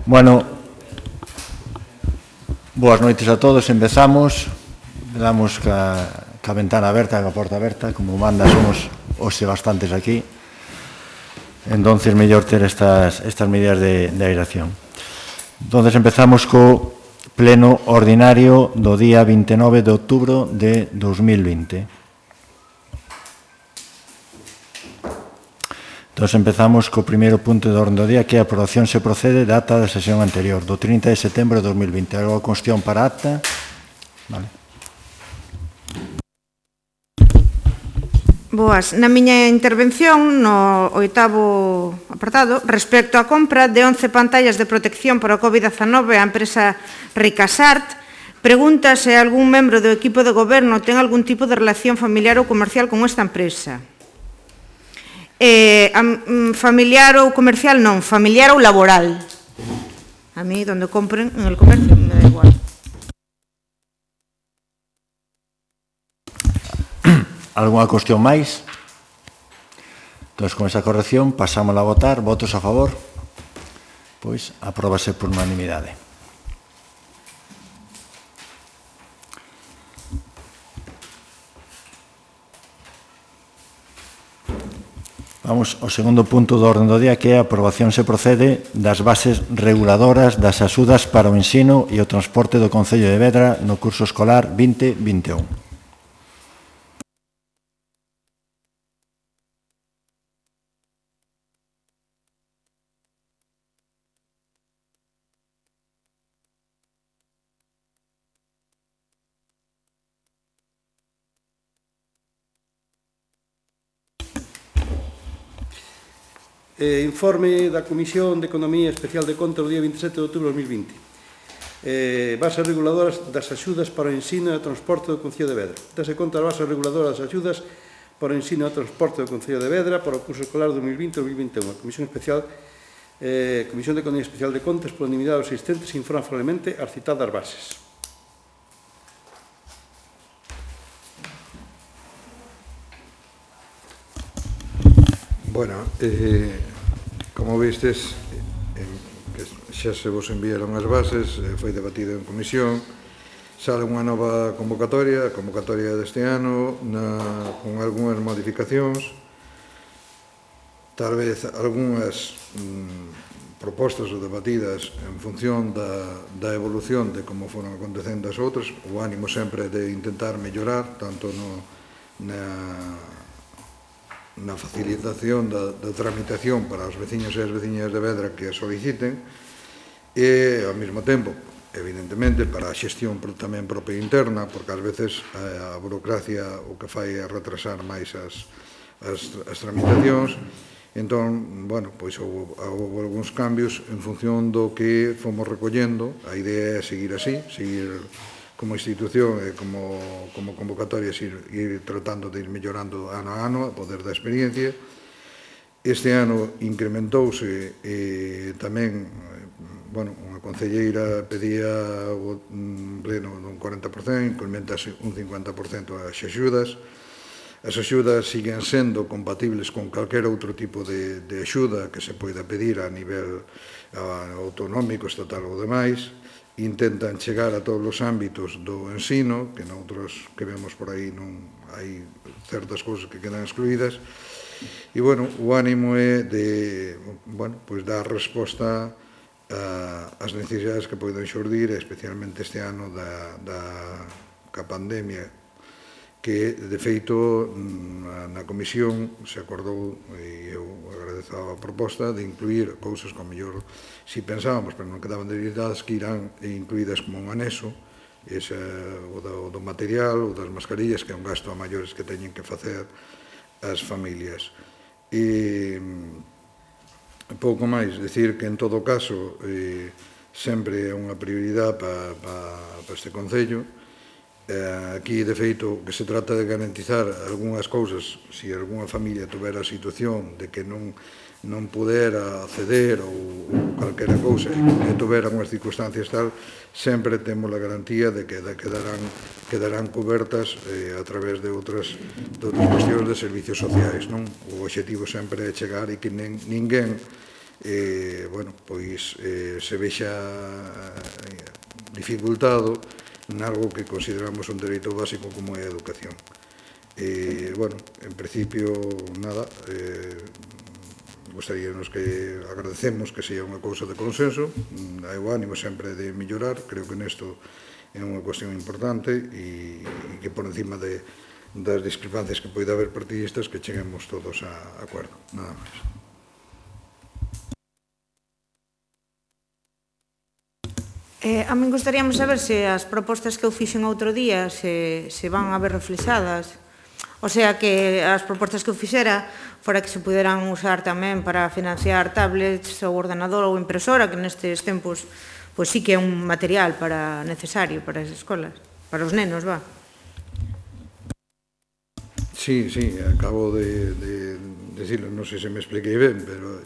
Bueno, boas noites a todos, empezamos. Damos ca ventana aberta, ca porta aberta, como manda, somos hoxe bastantes aquí. Entonces, mellor ter estas medidas de aeración. Entonces, empezamos co pleno ordinario do día 29 de outubro de 2020. Entón, empezamos co primeiro punto de orden do día, que é a aprobación se procede da ata da sesión anterior, do 30 de setembro de 2020. Algo a cuestión para a acta? Vale. Boas. Na miña intervención, no oitavo apartado, respecto á compra de 11 pantallas de protección para o COVID-19 á empresa Ricasart, pregunta se algún membro do equipo de goberno ten algún tipo de relación familiar ou comercial con esta empresa. Familiar ou comercial non, familiar ou laboral. A mí, donde compren, en el comercio, me da igual. Alguna cuestión máis? Entón, con esa corrección, pasamos a votar. Votos a favor? Pois, apróbase por unanimidade. Vamos ao segundo punto do orden do día, que é a aprobación se procede das bases reguladoras das axudas para o ensino e o transporte do Concello de Vedra no curso escolar 2021. Informe da Comisión de Economía Especial de Contas do día 27 de outubro de 2020. Bases reguladoras das axudas para o ensino e o transporte do Concello de Vedra. Dase conta das bases reguladoras das axudas para o ensino e o transporte do Concello de Vedra para o curso escolar 2020-2021. A Comisión de Economía Especial de Contas, por unanimidade dos asistentes, informa favorablemente as citadas bases. Bueno, como vistes, xa se vos enviaron as bases, foi debatido en comisión, sale unha nova convocatoria, a convocatoria deste ano, con algunhas modificacións, tal vez algunhas propostas ou debatidas en función da evolución de como foron acontecendo as outras, o ánimo sempre de intentar mellorar, tanto na facilitación da tramitación para os veciños e as veciñas de Vedra que a soliciten e, ao mesmo tempo, evidentemente, para a xestión tamén propia interna, porque ás veces a burocracia o que fai é retrasar máis as tramitacións. Entón, bueno, pois houve algúns cambios en función do que fomos recollendo. A idea é seguir así, seguir como institución e como convocatorias ir tratando de ir mellorando ano a ano a poder da experiencia. Este ano incrementouse tamén, bueno, unha concelleira pedía un pleno dun 40%, incrementase un 50% as axudas. As axudas siguen sendo compatibles con calquera outro tipo de axuda que se poida pedir a nivel autonómico, estatal ou demais. Intentan chegar a todos os ámbitos do ensino, que noutros que vemos por aí non hai certas cousas que quedan excluídas. E, bueno, o ánimo é de, bueno, pois dar resposta ás necesidades que poden xurdir, especialmente este ano ca pandemia, que, de feito, na comisión se acordou, e eu agradezo a proposta, de incluir cousas que, ao mellor, si pensábamos, pero non quedaban debilitadas, que irán incluídas como un anexo, o do material, o das mascarillas, que é un gasto a maiores que teñen que facer as familias. E pouco máis, dicir que, en todo caso, sempre é unha prioridade para este Concello. Aquí, de feito, que se trata de garantizar algunhas cousas, se algunha familia tuvera a situación de que non pudera acceder ou calquera cousa e tuvera unhas circunstancias tal, sempre temos a garantía de que quedarán cobertas a través de outras cuestións de servicios sociais. O obxectivo sempre é chegar e que ninguén pois se vexa dificultado nalgo que consideramos un dereito básico como é a educación. En principio, nada, gostaríanos que agradecemos que sea unha cousa de consenso, hai o ánimo sempre de mellorar, creo que nesto é unha cuestión importante e que por encima das discrepancias que poida haber partidistas que cheguemos todos a acordo, nada máis. A min gustaríamos saber se as propostas que eu fixen outro día se van a ver reflexadas. O sea, que as propostas que eu fixera fora que se puderan usar tamén para financiar tablets ou ordenador ou impresora, que nestes tempos pois sí que é un material necesario para as escolas, para os nenos, va. Sí, acabo de decirlo, non sei se me expliquei ben, pero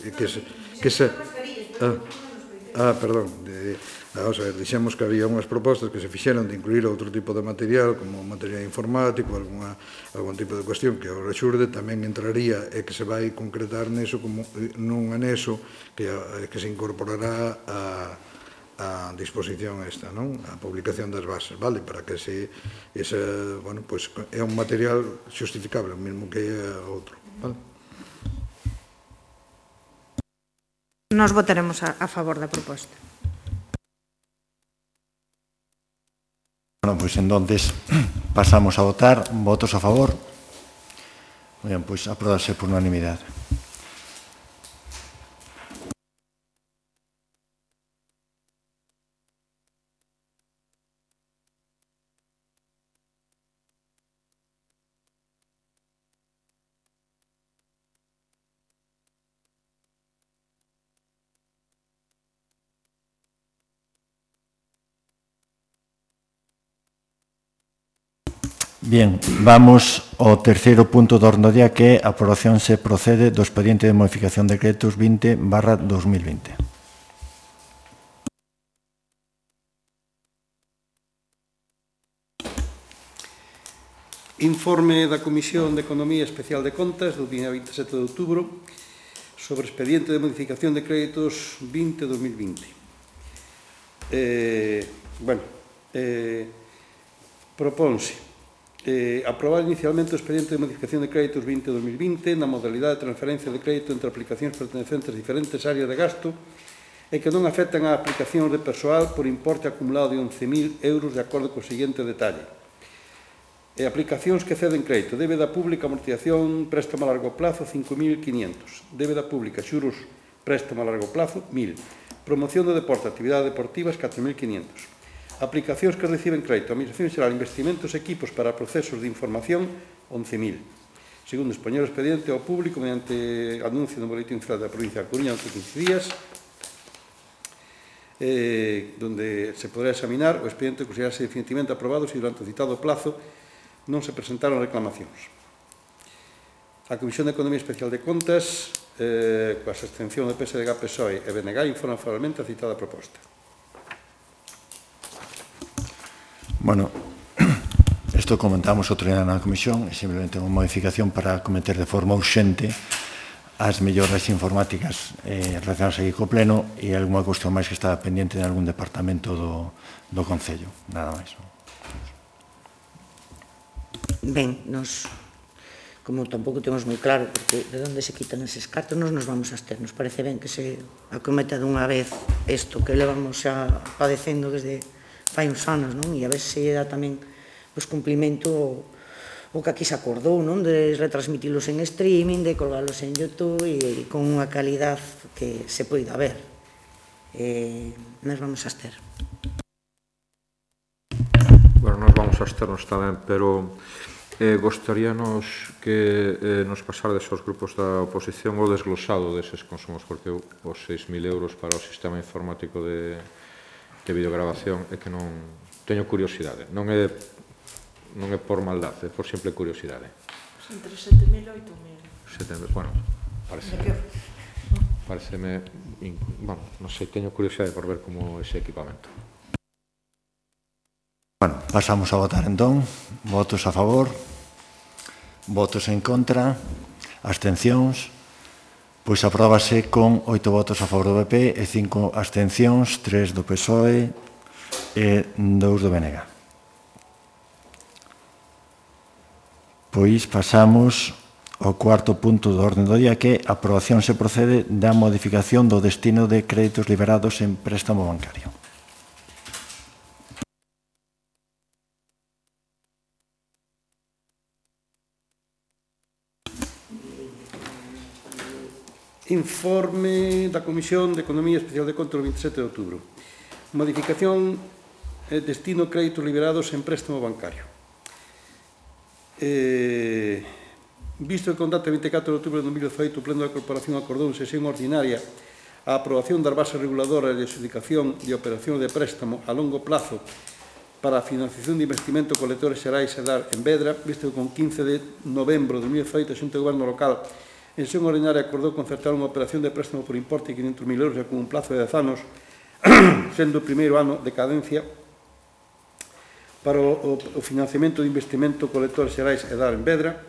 perdón, vamos a ver, dixemos que había unhas propostas que se fixeron de incluir outro tipo de material, como material informático, algún tipo de cuestión que agora xurde, tamén entraría e que se vai concretar neso como nun anexo que se incorporará a disposición esta, non? A publicación das bases, vale? Para que é un material xustificable, o mesmo que outro, vale? Nos votaremos a favor da proposta. Bueno, pois entonces pasamos a votar. Votos a favor. Moi ben, pois apróbase por unanimidade. Bien, vamos ao terceiro punto do orden do día, que é a aprobación se procede do expediente de modificación de decretos 20/2020. Informe da Comisión de Economía Especial de Contas do día 27 de outubro sobre expediente de modificación de créditos 20/2020. Propónse aprobar inicialmente o expediente de modificación de créditos 20/2020 na modalidade de transferencia de crédito entre aplicacións pertencentes a diferentes áreas de gasto e que non afectan a aplicacións de persoal por importe acumulado de 11.000 euros de acordo co seguinte detalle. E aplicacións que ceden crédito. Débeda pública, amortización, préstamo a largo plazo, 5.500. Débeda pública, xuros, préstamo a largo plazo, 1.000. Promoción do deporte, actividades deportivas, 4.500. Aplicacións que reciben crédito. Administración xeral, investimentos e equipos para procesos de información, 11.000. Segundo, expoñer o expediente ao público mediante anuncio no boletín oficial da provincia da Coruña durante 15 días, donde se podrá examinar o expediente que considerase definitivamente aprobado se durante o citado plazo non se presentaron reclamacións. A Comisión de Economía Especial de Contas, coa abstención do PSDG, PSOE e BNG, informa favorablemente a citada proposta. Bueno, isto comentamos outro día na Comisión, é simplemente unha modificación para cometer de forma urxente as melloras informáticas relacionadas aquí co Pleno e algunha cuestión máis que está pendiente de algún departamento do Concello, nada máis. Ben, nos, como tampouco temos moi claro porque de onde se quitan eses cartos, nos vamos a abster. Nos parece ben que se acometa dunha vez isto que levamos xa padecendo desde fai uns anos, non? E a ver se dá tamén cumplimento o que aquí se acordou, non? De retransmitilos en streaming, de colgalos en YouTube e con unha calidad que se poida ver. Nos vamos a abster. Bueno, nos vamos a absternos tamén, pero gostaríanos que nos pasardes aos grupos da oposición o desglosado deses consumos, porque os 6.000 euros para o sistema informático de videograbación é que non teño curiosidade, non é por maldade, é por simple curiosidade. Entre 7.000 e 8.000. Bueno, pareceme, bueno, non sei, teño curiosidade por ver como ese equipamento. Bueno, pasamos a votar entón. Votos a favor, votos en contra, abstencións. Pois apróbase con 8 votos a favor do PP e 5 abstencións, 3 do PSOE e 2 do BNG. Pois pasamos ao cuarto punto do orden do día, que é a aprobación se procede da modificación do destino de créditos liberados en préstamo bancario. Informe da Comisión de Economía Especial de Control 27 de outubro. Modificación destino créditos liberados en préstamo bancario. Visto que con data 24 de outubro de 2018 o Pleno da Corporación acordou en sesión ordinaria a aprobación das bases reguladoras de adxudicación e operación de préstamo a longo plazo para a financiación de investimento colectores xerais e dar en Vedra, visto que con 15 de novembro de 2018 a Xunta de Goberno Local en sesión ordinaria acordou concertar unha operación de préstamo por importe de 500.000 euros e con un plazo de 10 anos, sendo o primeiro ano de cadencia para o financiamento de investimento colectores xerais e dar en Vedra,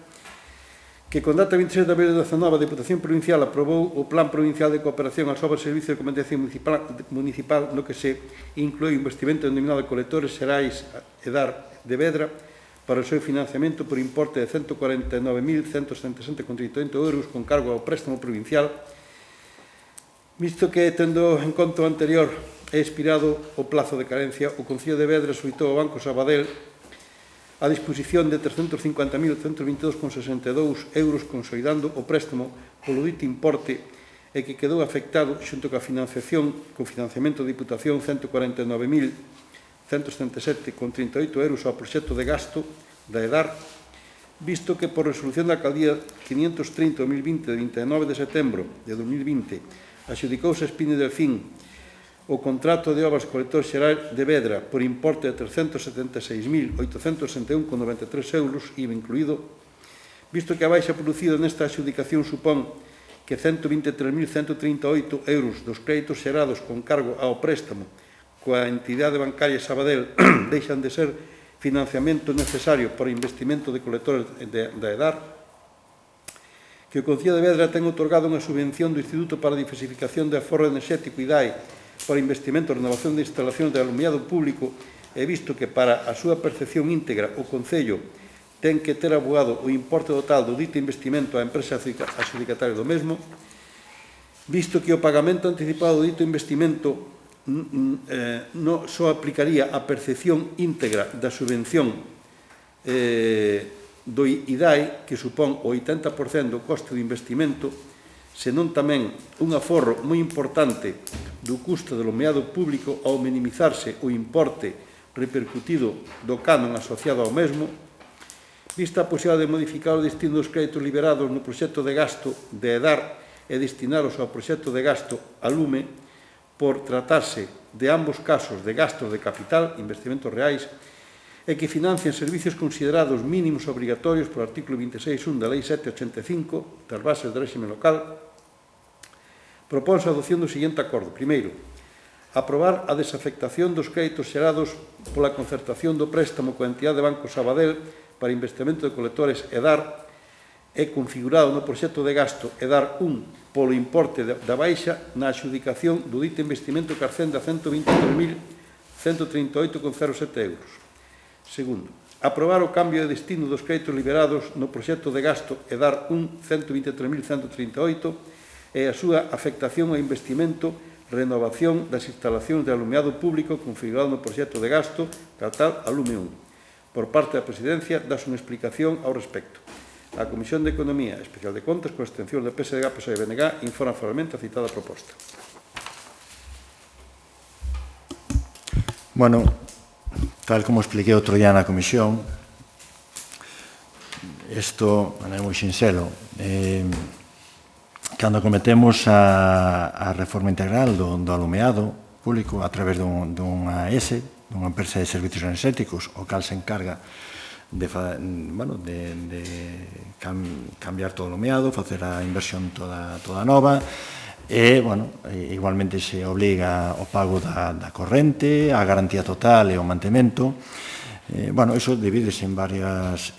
que con data 26 de abril de 2019 a Deputación Provincial aprobou o Plan Provincial de Cooperación ás obras de servicio de competencia municipal no que se inclui o investimento denominado de colectores xerais e dar de Vedra para o seu financiamento por importe de 149.177,38 euros con cargo ao préstamo provincial, visto que, tendo en conta o anterior, é expirado o plazo de carencia, o Concello de Vedra solicitou ao Banco Sabadell a disposición de 350.122,62 euros consolidando o préstamo polo dito importe e que quedou afectado xunto coa financiación, co financiamento da Diputación 149.177,38 euros ao proxecto de gasto da EDAR, visto que por resolución da Alcaldía 530-2020 de 29 de setembro de 2020 adxudicouse a Espine Delfín o contrato de obras colector xeral de Vedra por importe de 376.861,93 euros, IVA incluído, visto que a baixa producida nesta adxudicación supón que 123.138 euros dos créditos xerados con cargo ao préstamo coa entidade bancaria Sabadell deixan de ser financiamento necesario para o investimento de colectores da EDAR, que o Concello de Vedra ten otorgado unha subvención do Instituto para a Diversificación de Aforro Enerxético IDAE para investimento e renovación de instalacións de alumiado público e visto que para a súa percepción íntegra o Concello ten que ter abogado o importe total do dito investimento á empresa adxudicataria do mesmo, visto que o pagamento anticipado do dito investimento non só aplicaría a percepción íntegra da subvención do IDAE, que supón o 80% do coste do investimento, senón tamén un aforro moi importante do custo do alumiado público ao minimizarse o importe repercutido do canon asociado ao mesmo, vista a posibilidade de modificar o destino dos créditos liberados no proxecto de gasto de EDAR e destinaros ao proxecto de gasto a lume, por tratarse de ambos casos de gastos de capital, investimentos reais, e que financian servicios considerados mínimos obrigatorios por artículo 26.1 da Lei 785 das bases do réxime local, propónse a adopción do seguinte acordo. Primeiro, aprobar a desafectación dos créditos xerados pola concertación do préstamo coa entidade de Banco Sabadell para investimento de colectores EDAR é configurado no proxecto de gasto EDAR 1 polo importe da baixa na adxudicación do dito investimento que ascende a 123.138,07 euros. Segundo, aprobar o cambio de destino dos créditos liberados no proxecto de gasto EDAR 1 123.138 e a súa afectación ao investimento renovación das instalacións de alumiado público configurado no proxecto de gasto tal alume 1. Por parte da Presidencia, dáse unha explicación ao respecto. A Comisión de Economía Especial de Contas, con abstención de PSDG, PSOE e BNG, informa formalmente a citada proposta. Bueno, tal como expliquei outro día na Comisión, isto é moi sinxelo. Cando cometemos a reforma integral do alumeado público a través dunha ESE, dunha empresa de servicios enerxéticos, o cal se encarga de cambiar todo o alumeado, facer a inversión toda nova, e, igualmente se obliga o pago da corrente, a garantía total e o mantemento. Bueno, iso divídese en varias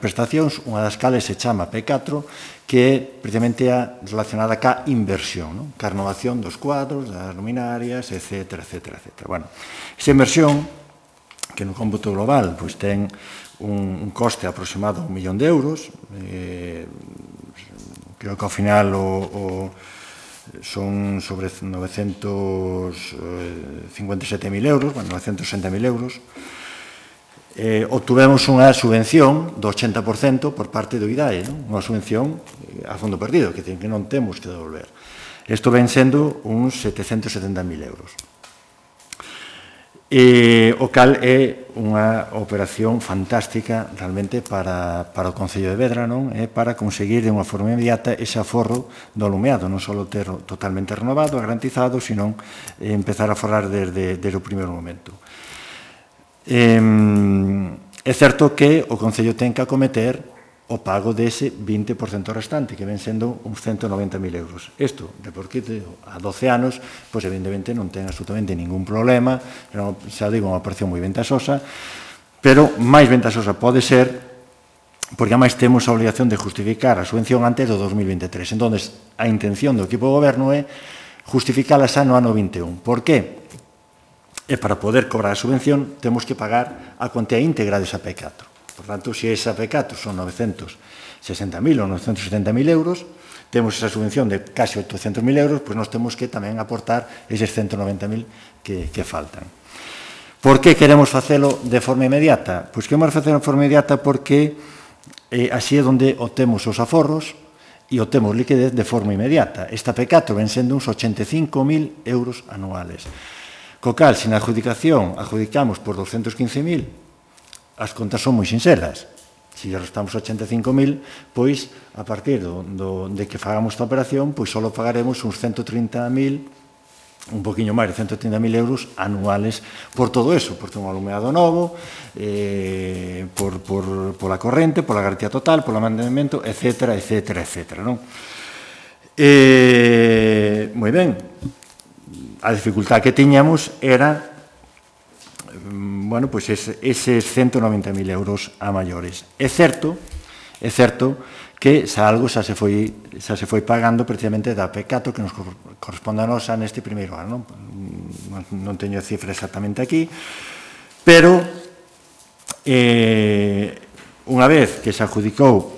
prestacións, unha das cales se chama P4, que é precisamente relacionada ca inversión, ca renovación dos cuadros, das luminarias, etc. Bueno, esa inversión, que no cómputo global ten un coste aproximado a 1 millón de euros, creo que ao final son sobre 957.000 euros, bueno, 960.000 euros. Obtuvemos unha subvención do 80% por parte do IDAE, unha subvención a fondo perdido, que non temos que devolver. Isto ven sendo uns 770.000 euros. O cal é unha operación fantástica realmente para o Concello de Vedra, para conseguir de unha forma inmediata ese aforro do alumeado, non só ter totalmente renovado, garantizado, sino empezar a aforrar desde o primeiro momento. É certo que o Concello ten que acometer o pago dese 20% restante, que ven sendo uns 190.000 euros. Isto, de por qué a 12 anos, pois evidentemente non ten absolutamente ningún problema, xa digo, unha operación moi ventaxosa, pero máis ventaxosa pode ser, porque ademais temos a obligación de justificar a subvención antes do 2023. Entón, a intención do equipo de goberno é justificala xa no ano 21. Por qué? E para poder cobrar a subvención, temos que pagar a cuantía íntegra desa P4. Por tanto, se esa P4 son 960.000 ou 970.000 euros, temos esa subvención de casi 800.000 euros, pois nós temos que tamén aportar eses 190.000 que faltan. Por que queremos facelo de forma inmediata? Pois queremos facelo de forma inmediata porque así é onde obtemos os aforros e obtemos liquidez de forma inmediata. Esta P4 ven sendo uns 85.000 euros anuales. Co cal, se na adjudicación adjudicamos por 215.000, as contas son moi sinceras. Se restamos 85.000, pois, a partir de que fagamos esta operación, pois só pagaremos uns 130.000, un poquinho máis de 130.000 euros anuales por todo eso, porque un alumeado novo, por la corrente, por la garantía total, por o mantenimento, etc. Moi ben, a dificultad que tiñamos era eses 190.000 euros a maiores. É certo que xa algo xa se foi pagando precisamente da P4 que nos corresponde a nosa neste primeiro ano. Non teño a cifra exactamente aquí, pero unha vez que se adjudicou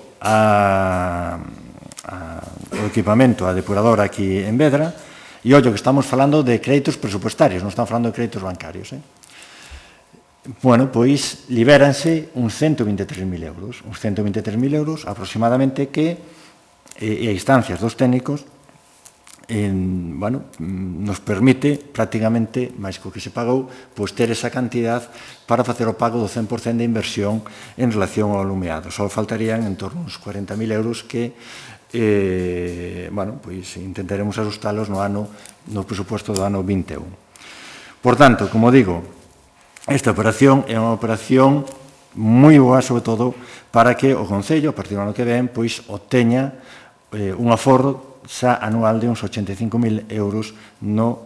o equipamento, a depuradora aquí en Vedra, e ollo que estamos falando de créditos presupuestarios, non estamos falando de créditos bancarios, bueno, pois libéranse uns 123.000 euros. Uns 123.000 euros aproximadamente que, e a instancias dos técnicos, nos permite prácticamente, máis co que se pagou, pois ter esa cantidad para facer o pago do 100% de inversión en relación ao alumeado. Só faltarían en torno uns 40.000 euros que pois intentaremos ajustalos no presupuesto do ano 21. Por tanto, como digo, esta operación é unha operación moi boa, sobre todo, para que o Concello, a partir do ano que ven, pois obteña un aforro xa anual de uns 85.000 euros no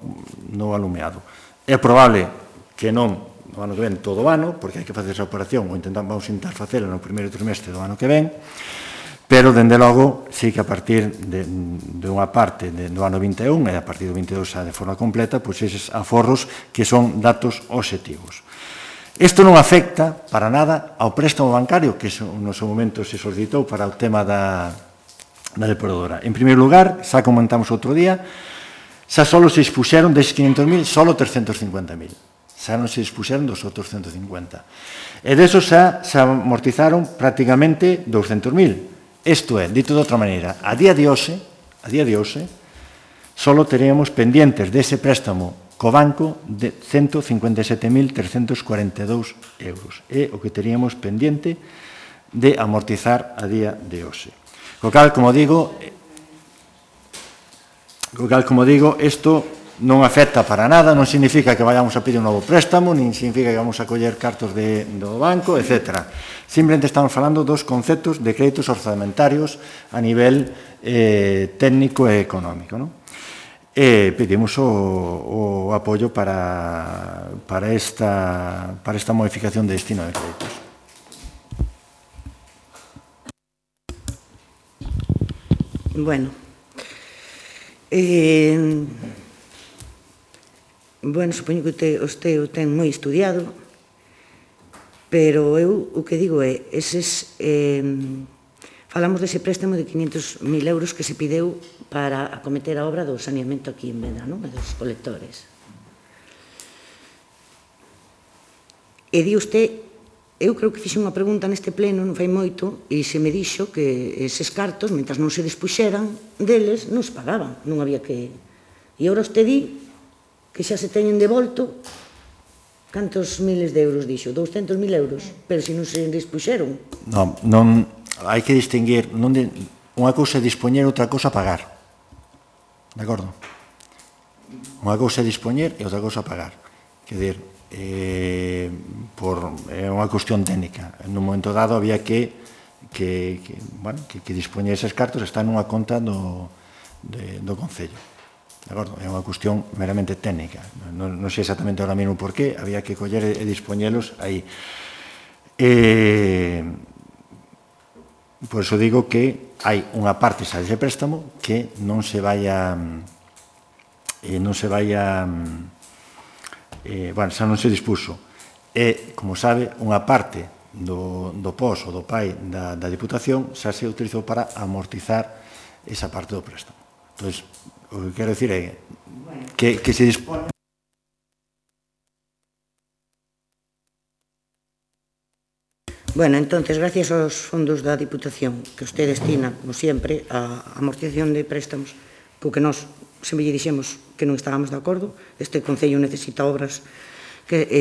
alumeado. É probable que non no ano que ven todo o ano, porque hai que facer esa operación, ou vamos intentar facela no primeiro trimestre do ano que ven, pero, dende logo, sí que a partir de unha parte do ano 21 e a partir do 22 xa de forma completa, pois eses aforros que son datos obxectivos. Isto non afecta para nada ao préstamo bancario que no seu momento se solicitou para o tema da depuradora. En primeiro lugar, xa comentamos outro día, xa só se dispuxeron deses 500.000, só 350.000. Xa non se dispuxeron dos outros 150. E desos xa amortizaron prácticamente 200.000. Isto é, dito de outra maneira, a día de hoxe, só teríamos pendientes dese préstamo co banco de 157.342 euros. É o que teríamos pendiente de amortizar a día de hoxe. Co cal, como digo, isto non afecta para nada, non significa que vayamos a pedir un novo préstamo, nin significa que vamos a coller cartos do banco, etc. Simplemente estamos falando dos conceptos de créditos orzamentarios a nivel técnico e económico. e pedimos o apoio para esta modificación de destino de créditos. Bueno, supoño que usted o ten moi estudiado, pero eu o que digo é, falamos dese préstamo de 500.000 euros que se pideu para acometer a obra do saneamento aquí en Vedra, non? E dos colectores. E di usted, eu creo que fixe unha pregunta neste pleno, non fai moito, e se me dixo que eses cartos, mentre non se despuxeran deles, non se pagaban, non había que... E agora usted di que xa se teñen devolto cantos miles de euros, dixo? 200.000 euros, pero se non se despuxeron. Non, hai que distinguir, unha cousa é dispoñer, outra cousa pagar. De acordo? Unha cousa é dispoñer e outra cousa pagar. Quer dizer, é unha cuestión técnica. Nun momento dado había que dispoñer eses cartos, están nunha conta do Concello. De acordo? É unha cuestión meramente técnica. Non sei exactamente ahora mesmo por qué, había que coller e dispoñelos aí. Por iso digo que hai unha parte xa dese préstamo que non se vai xa non se dispuso. E, como sabe, unha parte do POS ou do PAI da Diputación xa se utilizou para amortizar esa parte do préstamo. Entón, o que quero dicir é que se dispone. Bueno, entonces, gracias aos fondos da Diputación que usted destina, como sempre, a amortización de préstamos, co que nós sempre lle dixemos que non estábamos de acordo, este Concello necesita obras de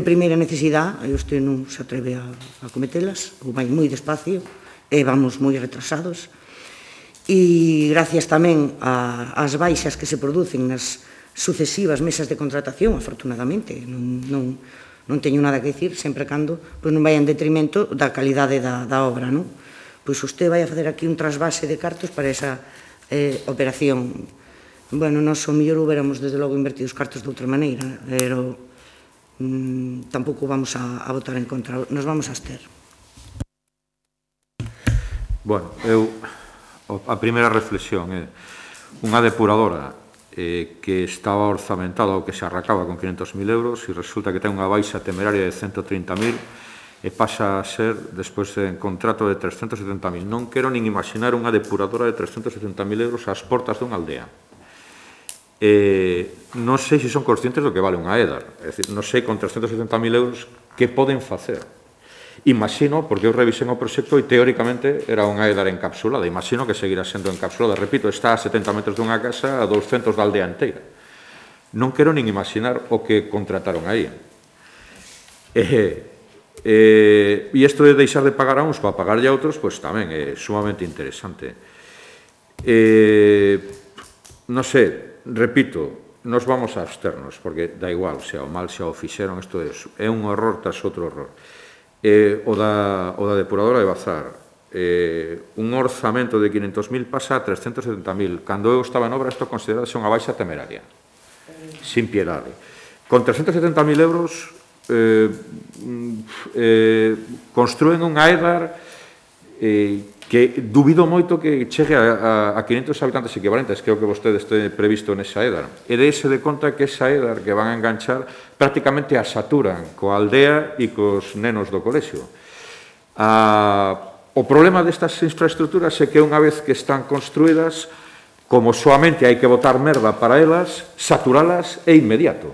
primeira necesidade, e usted non se atreve a cometelas, ou vai moi despacio, e vamos moi retrasados, e gracias tamén ás baixas que se producen nas sucesivas mesas de contratación, afortunadamente, non teño nada que dicir, sempre cando non vai en detrimento da calidade da obra, non? Pois usted vai a facer aquí un trasvase de cartos para esa operación. Bueno, nós o mellor huberamos desde logo invertido os cartos de outra maneira, pero tampouco vamos a votar en contra, nos vamos a abster. Bueno, a primeira reflexión é unha depuradora que estaba orzamentada ou que se arracaba con 500.000 euros e resulta que ten unha baixa temeraria de 130.000 e pasa a ser, despois de contrato de 370.000. Non quero nin imaginar unha depuradora de 370.000 euros ás portas dunha aldea. Non sei se son conscientes do que vale unha EDAR. É dicir, non sei con 370.000 euros que poden facer. Imagino, porque eu revisei o proxecto e teóricamente era unha EDAR encapsulada, imagino que seguirá sendo encapsulada, repito, está a 70 metros dunha casa, a 200 da aldea inteira. Non quero nin imaginar o que contrataron aí. E isto de deixar de pagar a uns para pagarlle a outros, pois tamén é sumamente interesante. Non sei, repito, nos vamos a absternos, porque dá igual, xa o mal xa o fixeron, isto é un horror tras outro horror. O da depuradora de Bazar, un orzamento de 500.000 pasa a 370.000. Cando eu estaba en obra, isto considerase unha baixa temeraria, sin piedade. Con 370.000 euros construen unha EDAR que dubido moito que chegue a 500 habitantes equivalentes, que é o que vostede este previsto nesa EDAR. E dése de conta que esa EDAR que van a enganchar prácticamente a saturan coa aldea e cos nenos do colexio. O problema destas infraestructuras é que unha vez que están construídas, como soamente hai que botar merda para elas, saturalas é inmediato.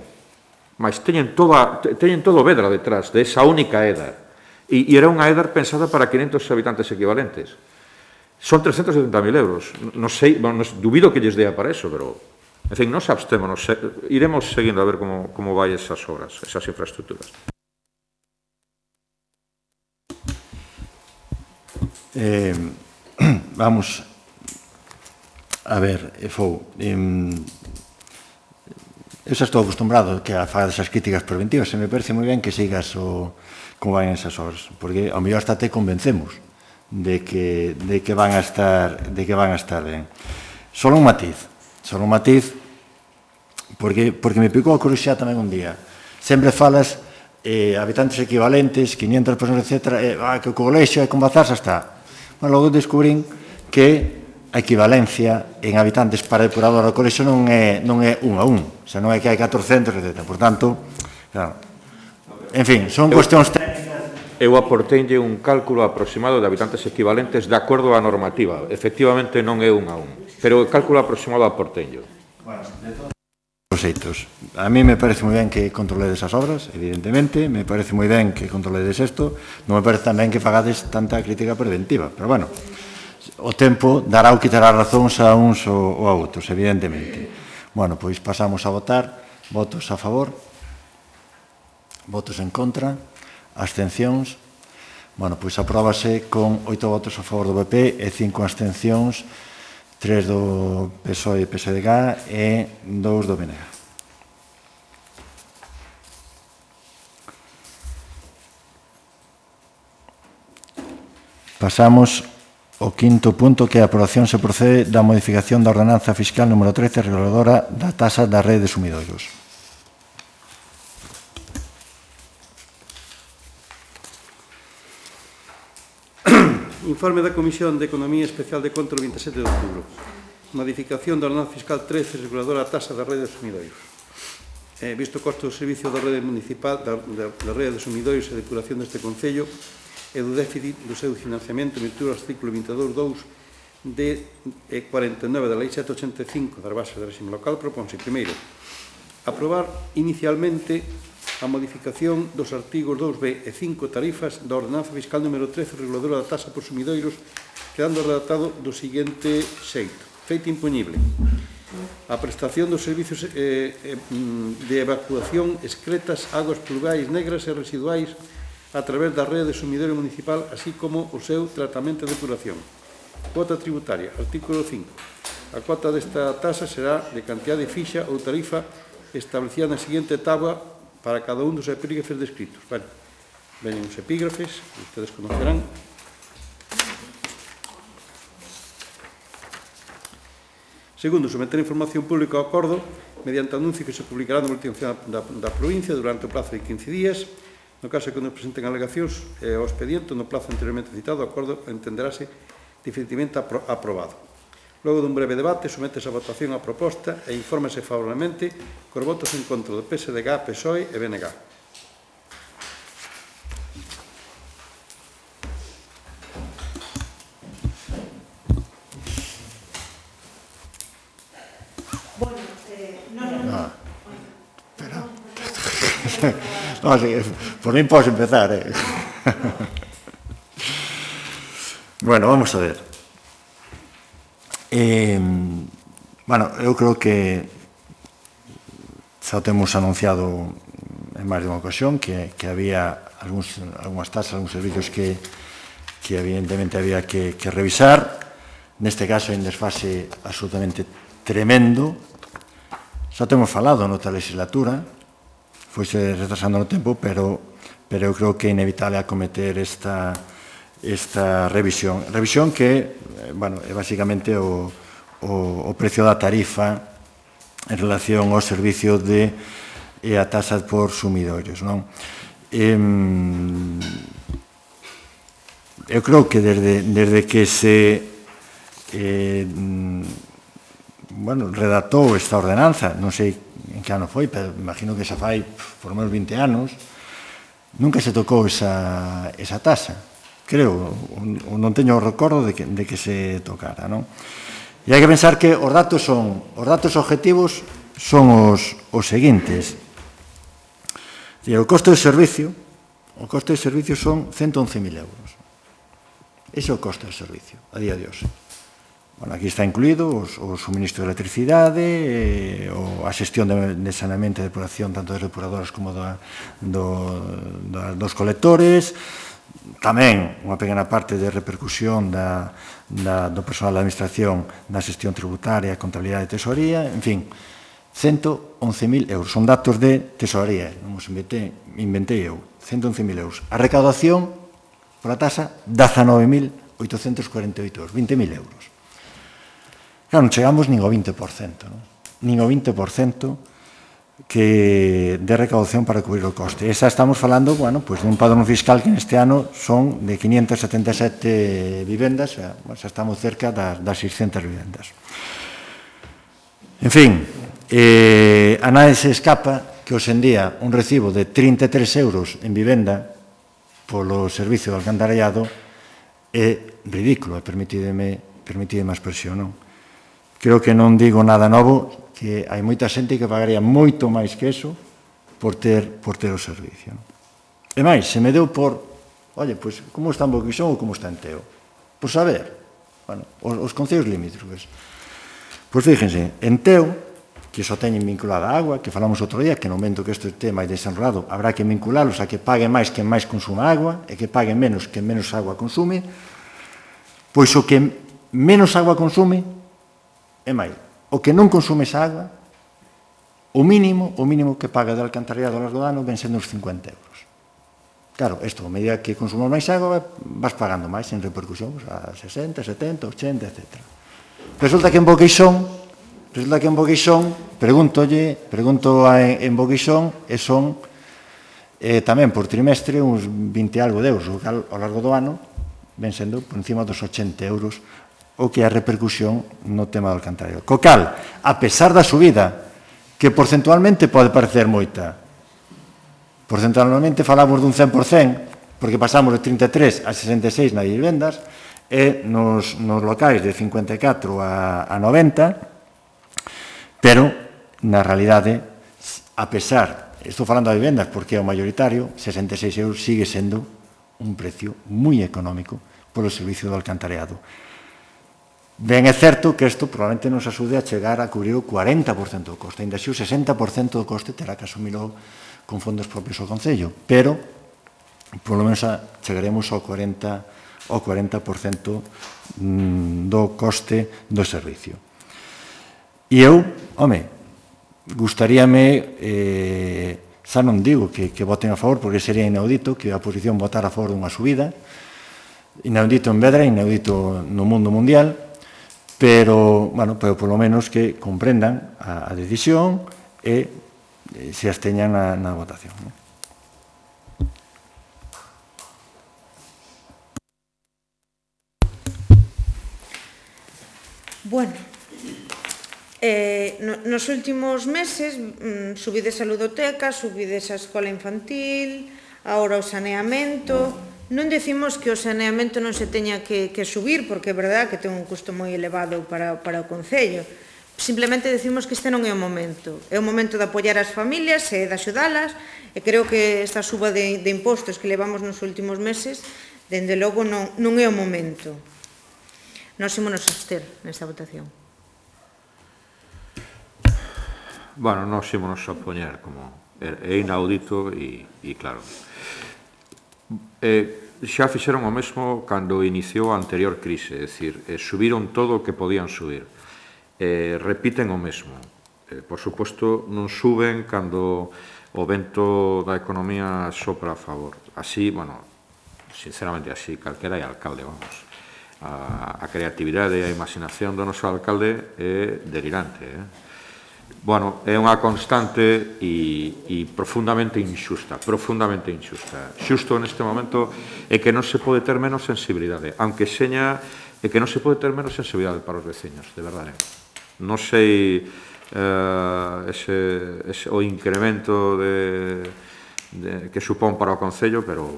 Mas teñen todo Vedra detrás de esa única EDAR. E era unha EDAR pensada para 500 habitantes equivalentes. Son 370.000 euros. Non sei, dubido que lles dea para eso, pero, en fin, nos abstémonos, iremos seguindo a ver como vai esas obras, esas infraestructuras. Vamos a ver, eu xa estou acostumbrado que a fagas esas críticas preventivas, e me parece moi ben que sigas como van esas obras, porque ao mellor hasta te convencemos de que van a estar ben. Solo un matiz, porque me picou a curiosidade tamén un día. Sempre falas habitantes equivalentes, 500 personas, etc. Que o colexio é con Bazar, xa está. Bueno, logo descubrín que a equivalencia en habitantes para depurador do colexio non é 1 a 1, xa non é que hai 400, etc. Por tanto, claro, en fin, son cuestións técnicas. Eu aporteinlle un cálculo aproximado de habitantes equivalentes de acordo á normativa. Efectivamente non é 1 a 1, pero o cálculo aproximado aporteinlle. Bueno, de todos os xeitos. A mí me parece moi ben que controledes as obras, evidentemente, me parece moi ben que controledes isto, non me parece tamén que fagades tanta crítica preventiva, pero bueno, o tempo dará ou quitará razóns a uns ou a outros, evidentemente. Bueno, pois pasamos a votar. Votos a favor, votos en contra, abstencións. Bueno, pois apróbase con 8 votos a favor do PP e 5 abstencións, 3 do PSOE e PSDG e 2 do BNG. Pasamos ao quinto punto, que é a aprobación se procede da modificación da ordenanza fiscal número 13, reguladora da taxa da rede de sumidoiros. Informe da Comisión de Economía Especial de Control 27 de outubro. Modificación da ordenanza fiscal 13, reguladora da taxa da rede de sumidoiros. Visto o costo do servicio da rede municipal, da rede de sumidoiros e depuración deste Concello e do déficit do seu financiamento en virtude do artículo 22.2 de 49 da Lei 785 das bases do réxime local, propónse, primeiro, aprobar inicialmente a modificación dos artigos 2b e 5 tarifas da ordenanza fiscal número 13, reguladora da taxa por sumidoiros, quedando redactado do seguinte xeito. Feito impoñible. A prestación dos servicios de evacuación excretas, augas pluviais negras e residuais a través da rede de sumidoiro municipal, así como o seu tratamento e depuración. Cuota tributaria. Artículo 5. A cuota desta taxa será de cantidade fixa ou tarifa establecida na seguinte tabla para cada un dos epígrafes descritos. Bueno, veñen os epígrafes, ustedes conocerán. Segundo, someter información pública ao acordo mediante anuncio que se publicará no boletín oficial da provincia durante o prazo de 15 días. No caso que nos presenten alegacións ao expediente, no plazo anteriormente citado, o acordo entenderáse definitivamente aprobado. Logo dun breve debate, sometes a votación a proposta e infórmese favorablemente cos votos en contra do PSDG, PSOE e BNG. No, sí, por mí podes empezar, Bueno, vamos a ver. Bueno, eu creo que xa temos anunciado en máis de unha ocasión que había algunhas tasas, algúns servicios que evidentemente había que revisar. Neste caso, hai un desfase absolutamente tremendo. Xa temos falado noutra legislatura, foise retrasando no tempo, pero eu creo que é inevitable acometer esta revisión. Revisión que, bueno, é basicamente o precio da tarifa en relación ao servicio de a taxa por sumidoiros, non? Eu creo que desde que se redactou esta ordenanza, non sei en que ano foi, pero imagino que xa fai por menos 20 anos, nunca se tocou esa taxa. Creo, non teño o recordo de que se tocara, non? E hai que pensar que os datos objetivos son os seguintes. O coste de servicio son 111.000 euros. Ese é o coste de servicio, a día de hoxe. Bueno, aquí está incluído o suministro de electricidade, a xestión de saneamento e depuración tanto das depuradoras como dos colectores, tamén unha pequena parte de repercusión do personal da administración na xestión tributaria, contabilidade e tesorería, en fin, 111.000 euros. Son datos de tesorería, non os inventei eu, 111.000 euros. A recaudación pola tasa, 19.848 euros, 20.000 euros. Claro, non chegamos nin ao 20%, non? Nin ao 20% que de recaudación para cubrir o coste. Esa estamos falando, bueno, pues dun padrón fiscal que neste ano son de 577 vivendas, xa estamos cerca das 600 vivendas. En fin, a nadie se escapa que hoxe en día un recibo de 33 euros en vivenda polo servicio de alcantarillado é ridículo, permitideme a expresión, non? Creo que non digo nada novo, que hai moita xente que pagaría moito máis que eso por ter o servicio. E máis, se me deu por, oye, pois, como está en Boquixón ou como está en Teo? Por saber, bueno, os concellos limítrofes. Pois fíjense, en Teo, que só teñen vinculada a agua, que falamos outro día, que no momento que este tema é desenrolado, habrá que vinculalos a que pague máis quen máis consuma agua e que pague menos quen menos agua consume, pois o que menos agua consume é máis. O que non consume esa agua, o mínimo que paga de alcantarillado ao largo do ano ven sendo uns 50 euros. Claro, isto, a medida que consumas máis agua, vas pagando máis en repercusión, a 60, 70, 80, etc. Resulta que en Boqueixón, pregunto en Boqueixón, e son tamén por trimestre uns 20 algo de euros, o cal ao largo do ano ven sendo por encima dos 80 euros o que é a repercusión no tema do alcantarillado. Co cal, a pesar da subida, que porcentualmente pode parecer moita, porcentualmente falamos dun 100%, porque pasamos de 33 a 66 nas vivendas, e nos locais de 54 a 90, pero, na realidade, a pesar, estou falando de vivendas porque é o mayoritario, 66 euros sigue sendo un precio moi económico polo servicio do alcantarillado. Ben, é certo que isto probablemente nos axude a chegar a cubrir o 40% do coste, ainda así o 60% do coste terá que asumilo con fondos propios ao Concello, pero polo menos chegaremos ao 40% do coste do servicio. E eu, gustaríame, xa non digo que voten a favor, porque sería inaudito que a oposición votara a favor dunha subida, inaudito en Vedra, inaudito no mundo mundial, pero polo menos que comprendan a decisión e se absteñan na votación. Bueno, nos últimos meses subides a ludoteca, subides a escola infantil, agora o saneamento. Non decimos que o saneamento non se teña que subir, porque é verdad que ten un custo moi elevado para o Concello. Simplemente decimos que este non é o momento. É o momento de apoiar as familias e de axudalas, e creo que esta suba de impostos que levamos nos últimos meses, dende logo non é o momento. Nós ímonos abster nesta votación. Bueno, nós ímonos a opoñer, como é inaudito e claro. Xa fixeron o mesmo cando iniciou a anterior crise, é dicir, subiron todo o que podían subir. Repiten o mesmo. Por suposto, non suben cando o vento da economía sopra a favor. Así, bueno, sinceramente así, calquera é alcalde, vamos. A creatividade e a imaginación do noso alcalde é delirante, Bueno, é unha constante e profundamente injusta, Xusto neste momento é que non se pode ter menos sensibilidade, aunque seña é que non se pode ter menos sensibilidade para os veciños, de verdade. Non sei o incremento que supón para o Concello, pero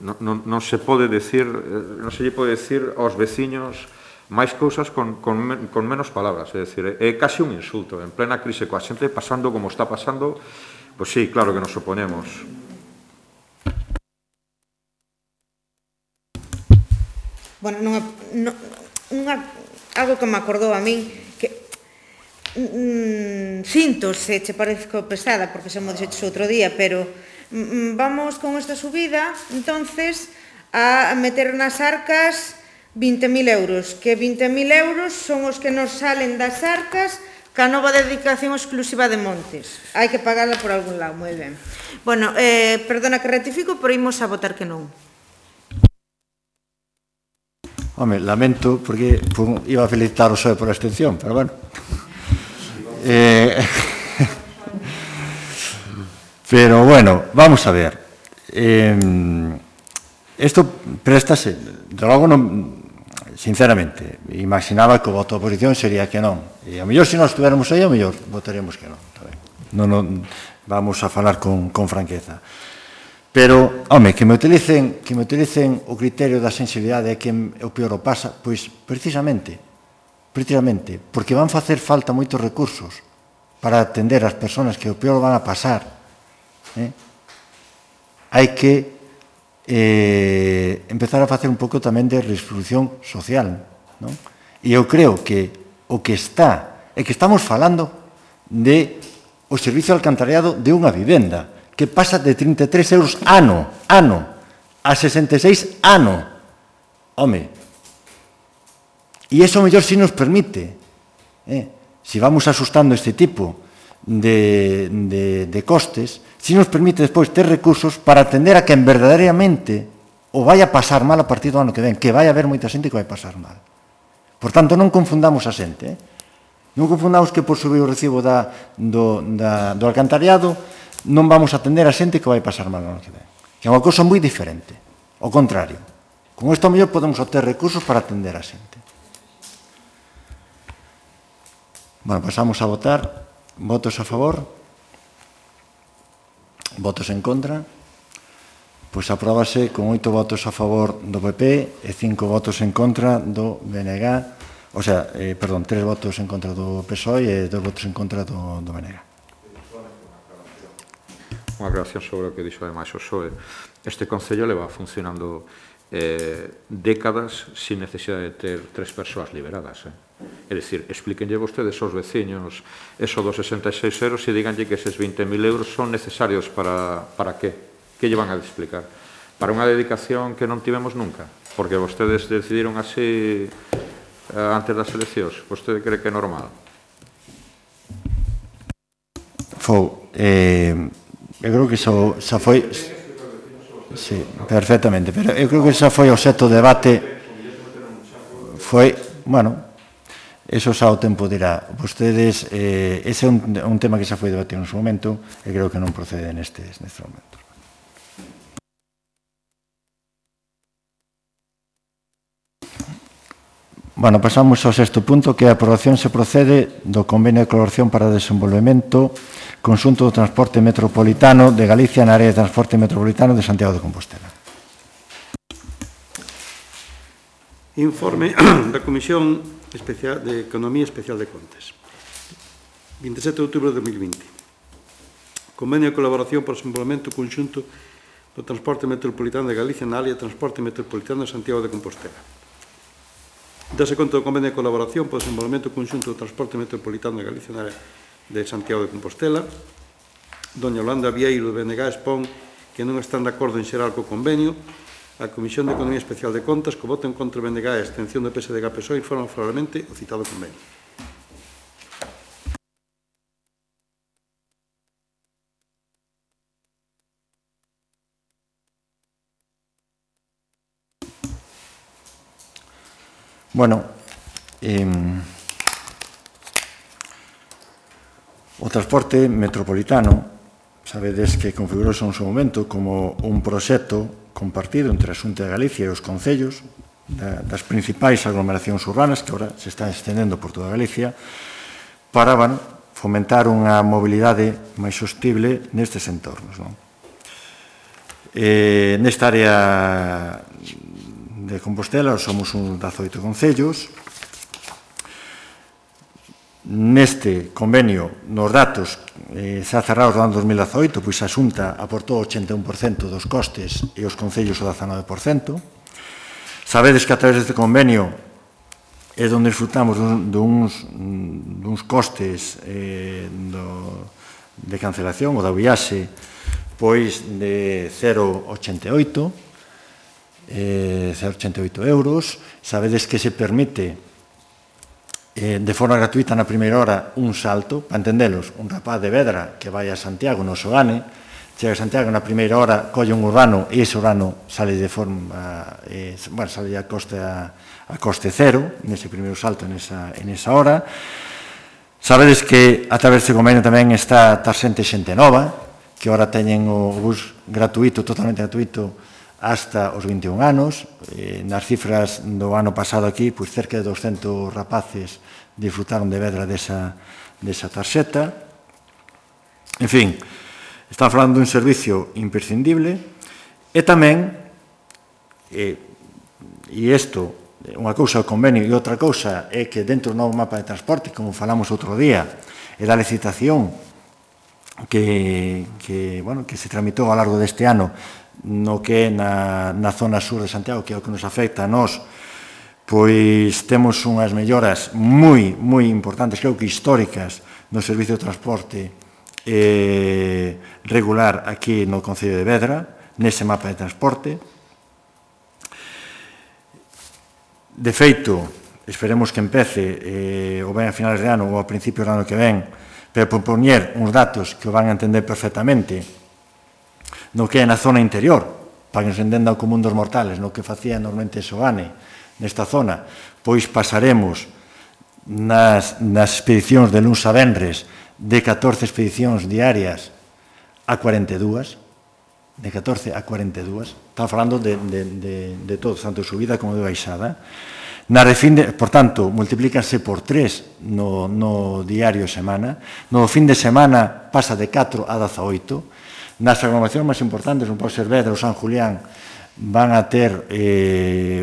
non se pode decir, non se lle pode decir aos veciños máis cousas con menos palabras, é dicir, é casi un insulto, en plena crise coa xente pasando como está pasando, pois sí, claro que nos oponemos. Bueno, algo que me acordou a min, que sinto se che parezco pesada, porque xa mo dixeches outro día, pero vamos con esta subida, entonces, a meter nas arcas 20.000 euros, que 20.000 euros son os que nos salen das arcas ca nova dedicación exclusiva de montes. Hai que pagarla por algún lado, moi ben. Bueno, perdona que ratifico, pero imos a votar que non. Home, lamento, porque iba a felicitar o PSOE por a abstención, pero bueno. Pero bueno, vamos a ver. Isto préstase, de logo non, sinceramente, imaginaba que o voto da oposición sería que non. E a mellor se nós estuviéramos aí, a mellor votaríamos que non. Non vamos a falar con franqueza. Pero, home, que me utilicen o criterio da sensibilidade e que o peor o pasa, pois precisamente, porque van facer falta moitos recursos para atender as persoas que o peor van a pasar. Hai que empezar a facer un pouco tamén de redistribución social. E eu creo que o que está é que estamos falando de o servicio de alcantarillado de unha vivenda que pasa de 33 euros ano a 66 ano. Home, e iso mellor si nos permite, si vamos asustando este tipo de costes, si nos permite despois ter recursos para atender a quen verdadeiramente o vai a pasar mal a partir do ano que ven, que vai haber moita xente que vai pasar mal. Por tanto, non confundamos a xente, non confundamos que por subir o recibo do alcantarillado non vamos a atender a xente que vai pasar mal no ano que ven. Que é unha cousa moi diferente. Ao contrario, con isto mellor podemos obter recursos para atender a xente. Bueno, pasamos a votar. Votos a favor? Votos en contra? Pois apróbase con 8 votos a favor do PP e 5 votos en contra do BNG. O sea, perdón, 3 votos en contra do PSOE e 2 votos en contra do BNG. Unha aclaración sobre o que dixo ademais o PSOE. Este Concello leva funcionando décadas sin necesidade de ter 3 persoas liberadas. É dicir, explíquenlle vostedes aos veciños eso dos 66 euros e díganlle que eses 20.000 euros son necesarios para que? Que lle van a explicar? Para unha dedicación que non tivemos nunca? Porque vostedes decidiron así antes das eleccións. Vostede cree que é normal? Eu creo que xa foi... Sí, perfectamente, pero eu creo que xa foi o xeto de debate. Foi, bueno, eso xa o tempo dirá. Vostedes, ese é un tema que xa foi debatido en su momento e creo que non procede neste momento. Bueno, pasamos ao sexto punto, que a aprobación se procede do convenio de colaboración para o desenvolvemento conxunto do transporte metropolitano de Galicia na área de transporte metropolitano de Santiago de Compostela. Informe da Comisión de Economía Especial de Contas. 27 de outubro de 2020. Convenio de colaboración para o desenvolvemento conxunto do transporte metropolitano de Galicia na área de transporte metropolitano de Santiago de Compostela. Dase conta do convenio de colaboración para o desenvolvemento conxunto do transporte metropolitano de Galicia na área de Santiago de Compostela. Doña Yolanda Vieiro de BNG expón que non están de acordo en xeral co convenio. A Comisión de Economía Especial de Contas, co voto en contra de BNG e a abstención do PSDG-PSOE, informan favorablemente o citado convenio. Bueno, o transporte metropolitano, sabedes que configurouse en seu momento como un proxecto compartido entre a Xunta de Galicia e os concellos das principais aglomeracións urbanas que agora se están estendendo por toda Galicia para fomentar unha mobilidade máis sostible nestes entornos. Nesta área de Compostela somos uns 18 concellos. Neste convenio, nos datos xa cerrados do ano 2018, pois a Xunta aportou o 81% dos costes e os concellos o 19%. Sabedes que a través deste convenio é onde disfrutamos duns costes de cancelación ou da viaxe pois de 0,88 euros. Sabedes que se permite de forma gratuita na primeira hora un salto, para entendelos, un rapaz de Vedra que vai a Santiago no Sogane chega a Santiago na primeira hora, colle un urbano e ese urbano sale de forma, sale a coste cero, nese primeiro salto, en esa hora. Sabedes que a través deste convenio tamén está Tarsente Xente Nova, que ora teñen o bus gratuito, totalmente gratuito, hasta os 21 anos. Nas cifras do ano pasado aquí, pois cerca de 200 rapaces disfrutaron de Vedra desa tarxeta. En fin, estamos falando dun servicio imprescindible e tamén, e isto, unha cousa é o convenio e outra cousa é que dentro do novo mapa de transporte, como falamos outro día, e da licitación que se tramitou ao largo deste ano no que é na zona sur de Santiago, que é o que nos afecta a nós, pois temos unhas melloras moi importantes, creo que históricas, no servicio de transporte regular aquí no Concello de Vedra, nese mapa de transporte. De feito, esperemos que empece ou ben a finales de ano ou a principios do ano que ven, pero propoñer uns datos que o van a entender perfectamente no que é na zona interior, para que nos entenda o común dos mortales, no que facía normalmente Sogane nesta zona, pois pasaremos nas expedicións de luns a venres de 14 expedicións diarias a 42, de 14 a 42, estamos falando de todo, tanto de subida como de baixada. Por tanto, multiplícanse por 3 no diario semana, no fin de semana pasa de 4 a 18, nas aglomeracións máis importantes, non pode ser Vedra ou San Julián, van a ter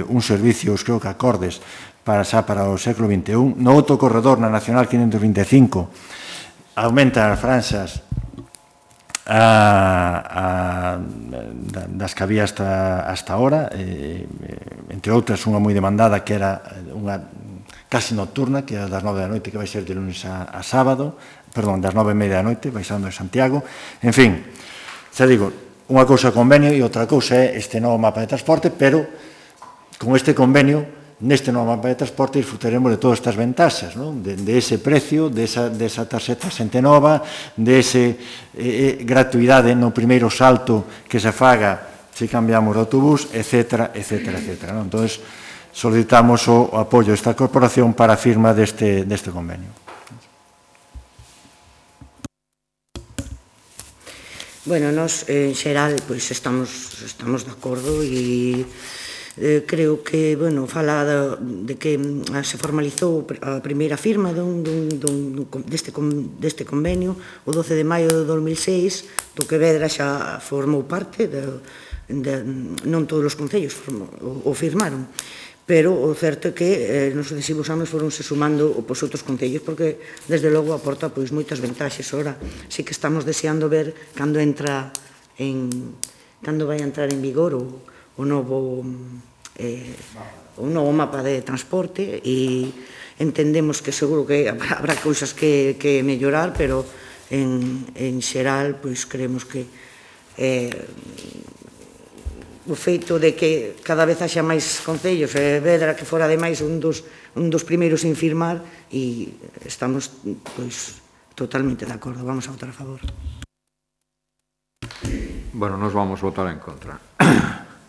un servicio, creo que acordes, para o século XXI. No outro corredor, na Nacional 525, aumentan as franxas das que había hasta ahora, entre outras unha moi demandada que era unha casi nocturna, que era das 9 da noite, que vai ser de lunes a sábado, perdón, das 9:30 da noite, baixando de Santiago. En fin, xa digo, unha cousa é convenio e outra cousa é este novo mapa de transporte, pero con este convenio, neste novo mapa de transporte, disfrutaremos de todas estas ventaxas, de ese precio, de esa tarxeta Xente Nova, de esa gratuidade no primeiro salto que se faga se cambiamos de autobús, etc. Entón, solicitamos o apoio desta corporación para a firma deste convenio. Bueno, nós, en xeral, estamos de acordo e creo que, fala de que se formalizou a primeira firma deste convenio o 12 de maio de 2006, do que Vedra xa formou parte, non todos os concellos o firmaron, pero o certo é que nos sucesivos anos foronse sumando outros concellos, porque desde logo aporta moitas ventaxes. Ora, sí que estamos deseando ver cando vai entrar en vigor o novo mapa de transporte, e entendemos que seguro que habrá cousas que mellorar, pero en xeral creemos que o feito de que cada vez haxa máis concellos, Vedra que fora ademais un dos primeiros en firmar, e estamos totalmente de acordo, vamos a votar a favor. Bueno, nos vamos votar en contra.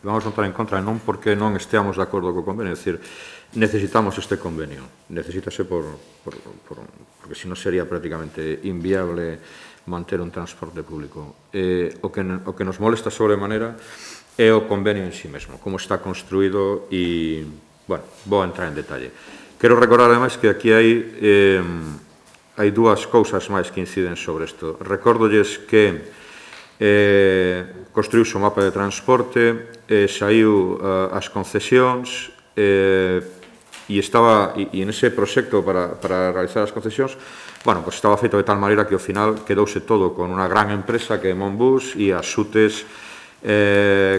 Vamos votar en contra non porque non esteamos de acordo co convenio, é dicir, necesitamos este convenio, necesítase porque senón sería prácticamente inviable manter un transporte público. O que nos molesta sobremanera é o convenio en sí mesmo, como está construído, e, bueno, vou entrar en detalle. Quero recordar, ademais, que aquí hai dúas cousas máis que inciden sobre isto. Recórdolles que construíuse o mapa de transporte, saiu as concesións, e nese proxecto para realizar as concesións, estaba feito de tal maneira que ao final quedouse todo con unha gran empresa que é Monbus e as xutes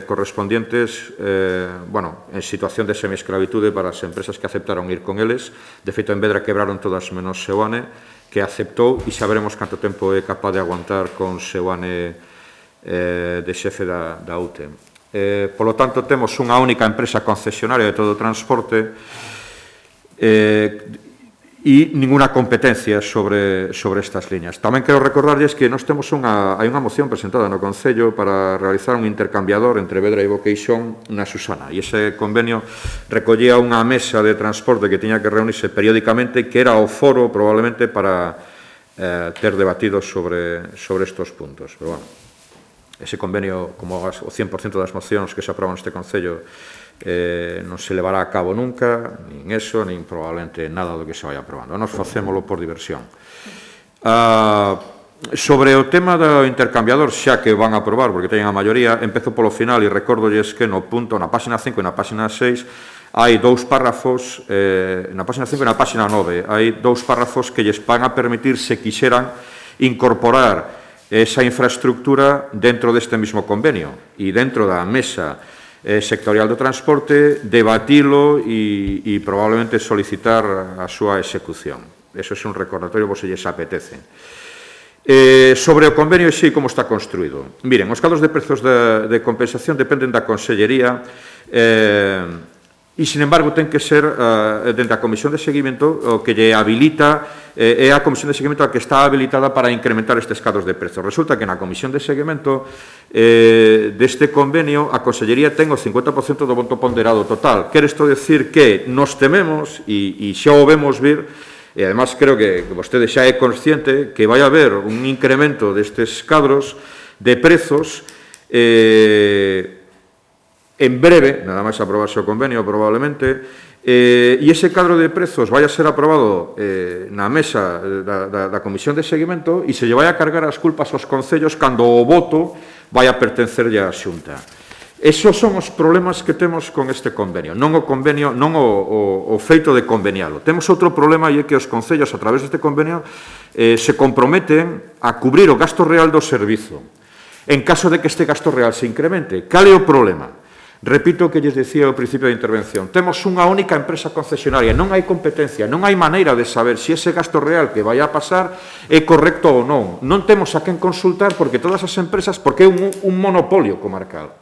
correspondientes en situación de semiescravitude para as empresas que aceptaron ir con eles. De feito, en Vedra quebraron todas menos Seoane, que aceptou, e saberemos canto tempo é capaz de aguantar con Seoane de xefe da UTE. Polo tanto, temos unha única empresa concesionaria de todo o transporte, e e ninguna competencia sobre estas liñas. Tamén quero recordarlles que nós temos hai unha moción presentada no Concello para realizar un intercambiador entre Vedra e Boqueixón na Susana, e ese convenio recollía unha mesa de transporte que tiña que reunirse periódicamente, que era o foro probablemente para ter debatido sobre estos puntos. Pero, bueno, ese convenio, como o 100% das mocións que se aproban neste Concello, non se levará a cabo nunca, nin eso, nin probablemente nada do que se vai aprobando. Nos facémolo por diversión. Sobre o tema do intercambiador, xa que van a aprobar, porque teñen a maioría, empezo polo final e recordolles que no punto, na página 5 e na página 6, hai dous párrafos, na página 5 e na página 9, hai dous párrafos que lles van a permitir, se quixeran, incorporar esa infraestructura dentro deste mismo convenio e dentro da mesa sectorial do transporte, debatilo e probablemente solicitar a súa execución. Eso é un recordatorio, vos se lles apetece. Sobre o convenio e como está construído. Miren, os cadros de prezos de compensación dependen da Consellería e, sin embargo, ten que ser dentro da Comisión de Seguimento o que lle habilita, é a Comisión de Seguimento a que está habilitada para incrementar estes cadros de prezos. Resulta que na Comisión de Seguimento deste convenio a Consellería ten o 50% do voto ponderado total. Quere isto decir que nos tememos, e xa o vemos vir, e además creo que vostede xa é consciente que vai haber un incremento destes cadros de prezos en breve, nada máis aprobarse o convenio probablemente, e ese cadro de prezos vai a ser aprobado na mesa da Comisión de Seguimento e se lle vai a cargar as culpas aos concellos cando o voto vai a pertencerlle á Xunta. Esos son os problemas que temos con este convenio, non o convenio, non o feito de convenialo. Temos outro problema e é que os concellos, a través deste convenio, se comprometen a cubrir o gasto real do servizo. En caso de que este gasto real se incremente, cal é o problema? Repito o que lles decía ao principio da intervención. Temos unha única empresa concesionaria, non hai competencia, non hai maneira de saber se ese gasto real que vai a pasar é correcto ou non. Non temos a quen consultar porque todas as empresas, porque é un monopolio comarcal.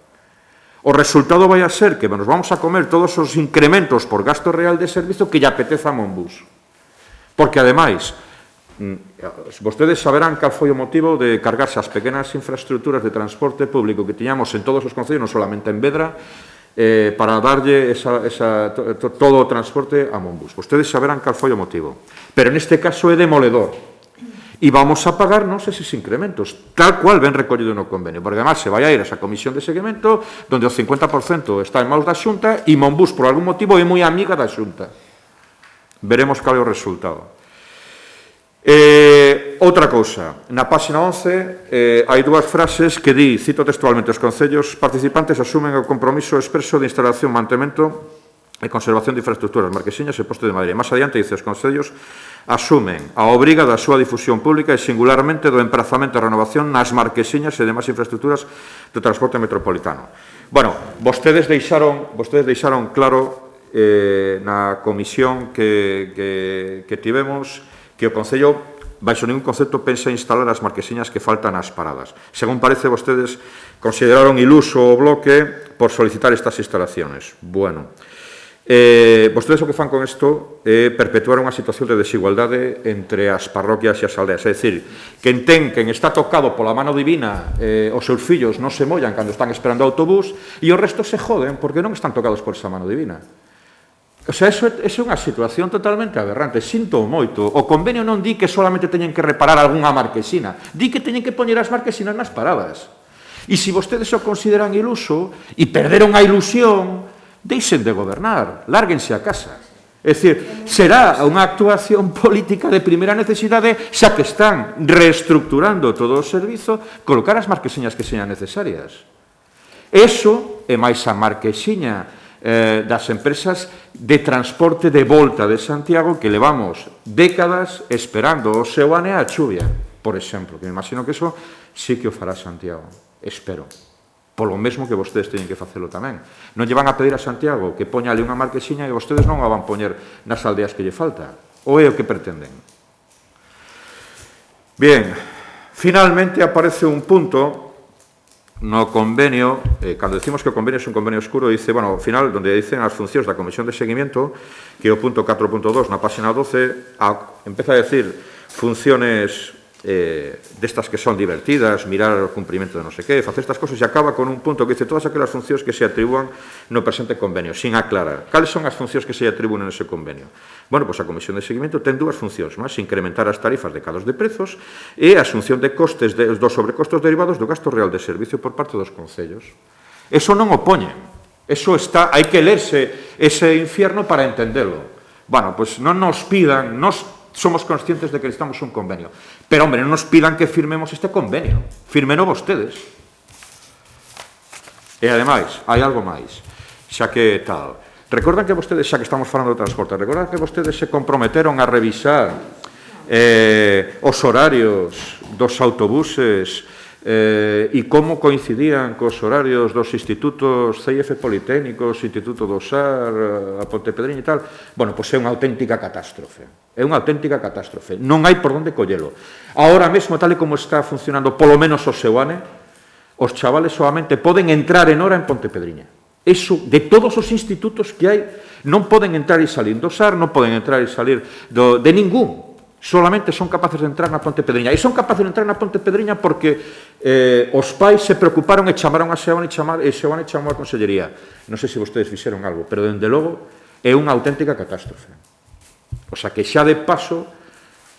O resultado vai a ser que nos vamos a comer todos os incrementos por gasto real de servizo que lle apeteza a Monbús. Porque, ademais, vostedes saberán cal foi o motivo de cargarse as pequenas infraestructuras de transporte público que tiñamos en todos os concellos, non solamente en Vedra, para darlle todo o transporte a Monbús. Vostedes saberán cal foi o motivo. Pero neste caso é demoledor. E vamos a pagarnos eses incrementos, tal cual ven recollido no convenio, porque además se vai a ir a esa comisión de seguimento donde o 50% está en maus da Xunta e Monbús, por algún motivo, é moi amiga da Xunta. Veremos cal é o resultado. Outra cousa, na página 11 hai dúas frases que di, cito textualmente, os concellos participantes asumen o compromiso expreso de instalación, mantemento e conservación de infraestructuras, marquesiñas e postes de madeira. Más adiante, dice, os concellos asumen a obriga da súa difusión pública e singularmente do emprazamento e renovación nas marquesiñas e demais infraestructuras do transporte metropolitano. Bueno, vostedes deixaron claro na comisión que tivemos que o Concello, baixo ningún concepto, pensa instalar as marquesiñas que faltan ás paradas. Según parece, vostedes consideraron iluso o bloque por solicitar estas instalaciones. Bueno, vostedes o que fan con isto é perpetuar unha situación de desigualdade entre as parroquias e as aldeas. É dicir, quen está tocado pola mano divina, os seus fillos non se mollan cando están esperando o autobús e o resto se joden porque non están tocados por esa mano divina. O sea, eso é unha situación totalmente aberrante. Sinto moito. O convenio non di que solamente teñen que reparar algunha marquesina. Di que teñen que poñer as marquesinas nas paradas. E se vostedes o consideran iluso e perderon a ilusión, deixen de gobernar, lárguense a casa. É dicir, será unha actuación política de primeira necesidade, xa que están reestructurando todo o servizo, colocar as marquesiñas que sean necesarias. Eso é máis a marquesiña das empresas de transporte de volta de Santiago que levamos décadas esperando o seu ane a chuvia, por exemplo, que me imagino que eso sí que o fará Santiago, espero. Polo mesmo que vostedes teñen que facelo tamén. Non lle van a pedir a Santiago que poña ali unha marquesiña e vostedes non a van poñer nas aldeas que lle falta. Ou é o que pretenden? Bien, finalmente aparece un punto no convenio, cando decimos que o convenio é un convenio oscuro, dice, bueno, ao final, donde dicen as funcións da Comisión de Seguimiento, que é o punto 4.2 na página 12, empeza a decir funciones destas que son divertidas, mirar o cumprimento de non sei qué, facer estas cosas, e acaba con un punto que dice todas aquelas funcións que se atribúan no presente convenio, sin aclarar. Cales son as funcións que se atribúan nese convenio? Bueno, pois a Comisión de Seguimiento ten dúas funcións máis, incrementar as tarifas de cados de prezos e a asunción de costes dos sobrecostos derivados do gasto real de servicio por parte dos concellos. Eso non o poñen. Eso está, hai que lerse ese infierno para entendelo. Bueno, pois non nos pidan, somos conscientes de que necesitamos un convenio. Pero, hombre, non nos pidan que firmemos este convenio. Firmeno vostedes. E, ademais, hai algo máis. Xa que tal. Recordan que vostedes, xa que estamos falando de transporte, recordan que vostedes se comprometeron a revisar os horarios dos autobuses e como coincidían cos horarios dos institutos CIF Politécnicos, Instituto do SAR, a Pontepedriña e tal. Bueno, pois é unha auténtica catástrofe. É unha auténtica catástrofe. Non hai por onde collelo. Ahora mesmo, tal e como está funcionando, polo menos o Seoane, os chavales solamente poden entrar en hora en Pontepedriña. Eso, de todos os institutos que hai, non poden entrar e salir do SAR, non poden entrar e salir de ningún. Solamente son capaces de entrar na Pontepedriña. E son capaces de entrar na Pontepedriña porque os pais se preocuparon e chamaron a Seoane e Seoane chamou a Consellería. Non sei se vostedes fixeron algo, pero, dende logo, é unha auténtica catástrofe. O sea, que xa de paso,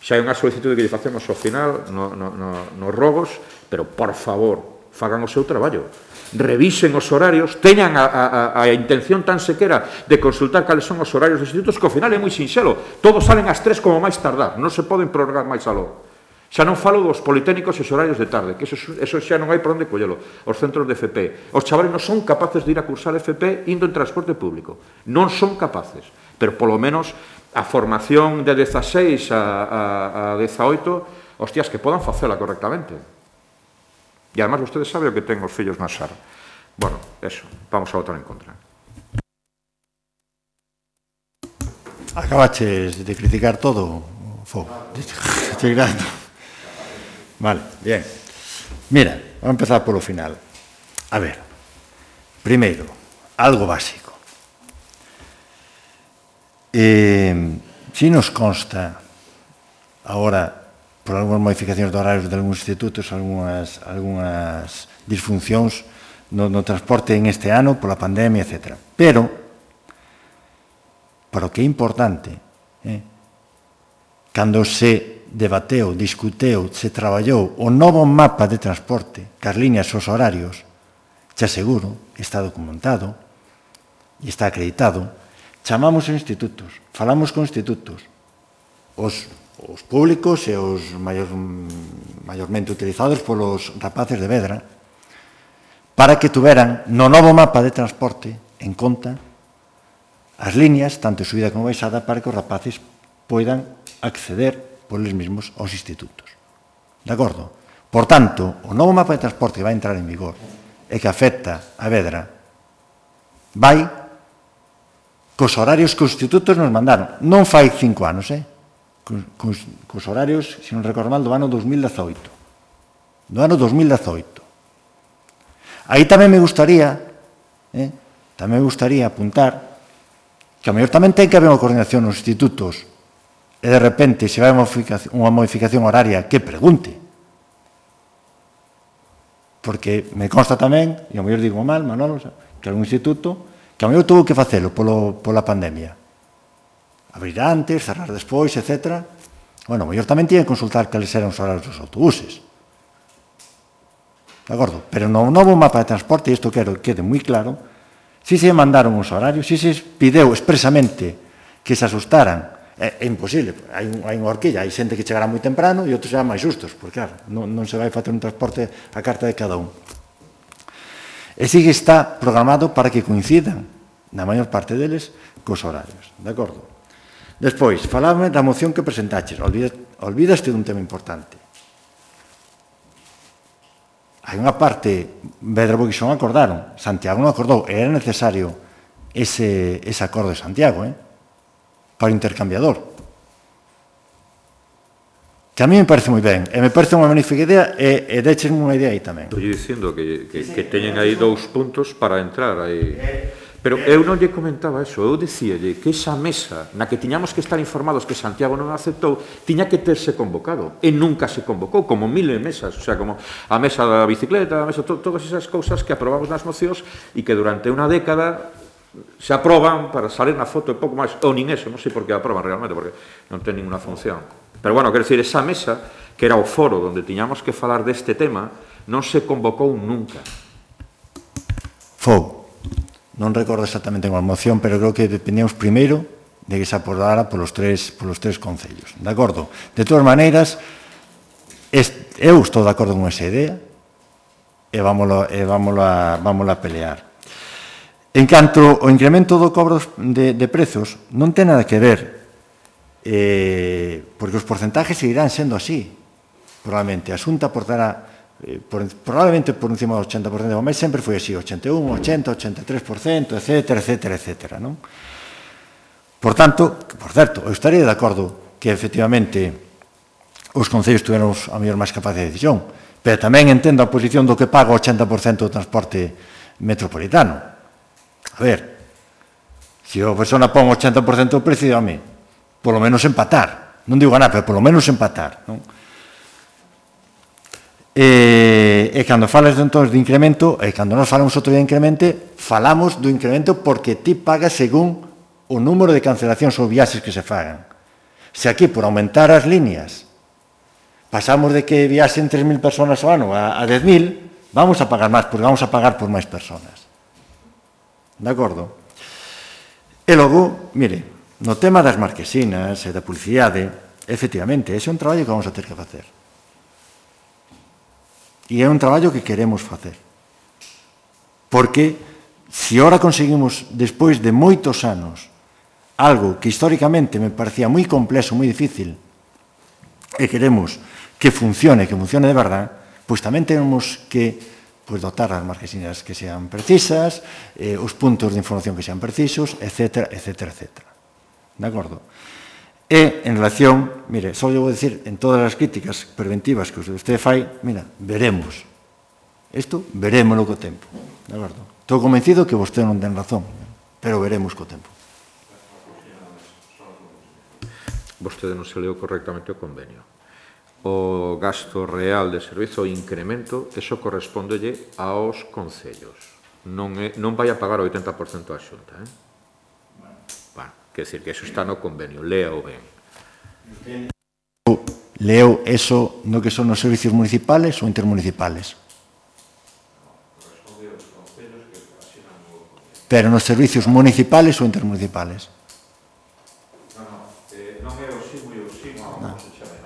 xa hai unha solicitude que lle facemos ao final nos rogos, pero, por favor, fagan o seu traballo. Revisen os horarios, teñan a intención tan sequera de consultar cales son os horarios dos institutos, que ao final é moi sinxelo. Todos salen ás 3 como máis tardar, non se poden prorrogar máis aló. Xa non falo dos politécnicos e os horarios de tarde, que eso xa non hai por onde collelo. Os centros de FP. Os chavales non son capaces de ir a cursar FP indo en transporte público. Non son capaces. Pero, polo menos, a formación de 16 a 18, hostias, que podan facela correctamente. E, además, vostedes saben o que ten os fillos na SAR. Bueno, eso, vamos a votar en contra. Acabaches de criticar todo, Vale, bien. Mira, vamos a empezar polo final. A ver, primeiro, algo básico. Si nos consta agora, por algunhas modificacións de horarios de algúns institutos, algunhas disfuncións no transporte en este ano, pola pandemia, etc. Pero, para o que é importante, cando se debateu, discuteu, se traballou o novo mapa de transporte, cas líneas e os horarios, xa seguro, está documentado e está acreditado, chamamos os institutos, falamos con institutos, os públicos e os maiormente utilizados polos rapaces de Vedra, para que tuveran no novo mapa de transporte en conta as líneas, tanto subida como baixada, para que os rapaces poidan acceder polos mesmos aos institutos. De acordo? Por tanto, o novo mapa de transporte que vai entrar en vigor e que afecta a Vedra vai cos horarios que os institutos nos mandaron. Non fai 5 anos, cos horarios, se non recordo mal, do ano 2018. Do ano 2018. Aí tamén me gustaría apuntar que a mellor tamén ten que haber unha coordinación nos institutos e de repente se vai unha modificación horaria que pregunte. Porque me consta tamén, e a mellor digo mal, Manolo, que algún instituto que a mellor tuvo que facelo pola pandemia. Abrir antes, cerrar despois, etc. Bueno, a mellor tamén tiñen que consultar cales eran os horarios dos autobuses. De acordo? Pero no novo mapa de transporte, e isto quero que quede moi claro, si se mandaron os horarios, si se pideu expresamente que se asustaran. É imposible, hai unha horquilla, hai xente que chegará moi temprano e outros serán máis justos, porque claro, non se vai facer un transporte a carta de cada un. E si que está programado para que coincidan, na maior parte deles, cos horarios. De acordo? Despois, falame da moción que presentaches. Olvidaste dun tema importante. Hai unha parte, Vedra Boquixón acordaron, Santiago non acordou, era necesario ese acordo de Santiago, para o intercambiador. Que a mí me parece moi ben, e me parece unha magnífica idea, e déchesme unha idea aí tamén. Estou dicindo que teñen aí 2 puntos para entrar aí. Pero eu non lle comentaba eso, eu dicíalle que esa mesa na que tiñamos que estar informados que Santiago non aceptou, tiña que terse convocado, e nunca se convocou, como miles de mesas, o sea, como a mesa da bicicleta, a mesa, todas esas cousas que aprobamos nas mocións e que durante unha década se aproban para salir na foto e pouco máis, ou nin eso, non sei por que aproban realmente, porque non ten ninguna función. Pero, bueno, quero dicir, esa mesa, que era o foro onde tiñamos que falar deste tema, non se convocou nunca. Non recordo exactamente con a moción, pero creo que dependíamos primeiro de que se acordara polos tres concellos. De acordo? De todas maneiras, eu estou de acordo con esa idea e vámola pelear. En canto ao incremento do cobro de prezos, non ten nada que ver, porque os porcentajes seguirán sendo así, probablemente. A Xunta aportará probablemente por encima do 80%, mas sempre foi así, 81, 80, 83%, etc. Non? Por tanto, por certo, eu estaría de acordo que efectivamente os concellos tuveron a mellor máis capacidade de decisión, pero tamén entendo a posición do que paga o 80% do transporte metropolitano. A ver, se a persona pon o 80% do precio, dígame, polo menos empatar. Non digo ganar, pero polo menos empatar. Non? E cando falas entón de incremento, e cando nós falamos outro día de incremento, falamos do incremento porque ti pagas según o número de cancelacións ou viaxes que se fagan. Se aquí, por aumentar as líneas, pasamos de que viaxen 3.000 personas ao ano a 10.000, vamos a pagar máis, porque vamos a pagar por máis personas. De acordo? E logo, mire, no tema das marquesinas e da publicidade, efectivamente, ese é un traballo que vamos a ter que facer. E é un traballo que queremos facer. Porque, se ora conseguimos, despois de moitos anos, algo que históricamente me parecía moi complexo, moi difícil, e queremos que funcione de verdade, pois tamén temos que dotar as marquesinas que sean precisas, os puntos de información que sean precisos, etc. De acordo? E, en relación, mire, só vou dicir, en todas as críticas preventivas que usted fai, mira, veremos. Isto, verémoslo co tempo. De acordo? Estou convencido que vostede non ten razón, pero veremos co tempo. Vostede non se leu correctamente o convenio. O gasto real de servizo, o incremento, eso correspondelle aos concellos. Non vai a pagar o 80% a Xunta, quer dizer que eso está no convenio, léao ben. Leo eso no que son os servicios municipales ou intermunicipales? Pero nos servicios municipales ou intermunicipales? Non é o SIMO e o SIMO, como se chame,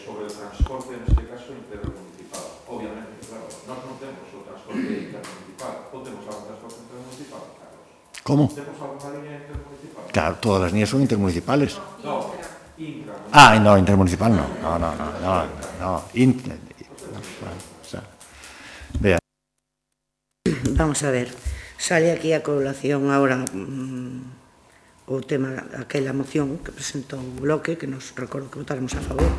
sobre o transporte, neste caso, intermunicipal. Obviamente, claro, nós non temos o transporte intermunicipal, ou temos algún transporte intermunicipal, Carlos? Como? Temos alguna línea intermunicipal? Claro, todas as líneas son intermunicipales. No, intra. No, intermunicipal no. Vea. Vamos a ver, sale aquí a colación ahora o tema, aquela moción que presentou o Bloque, que nos recordo que votáramos a favor,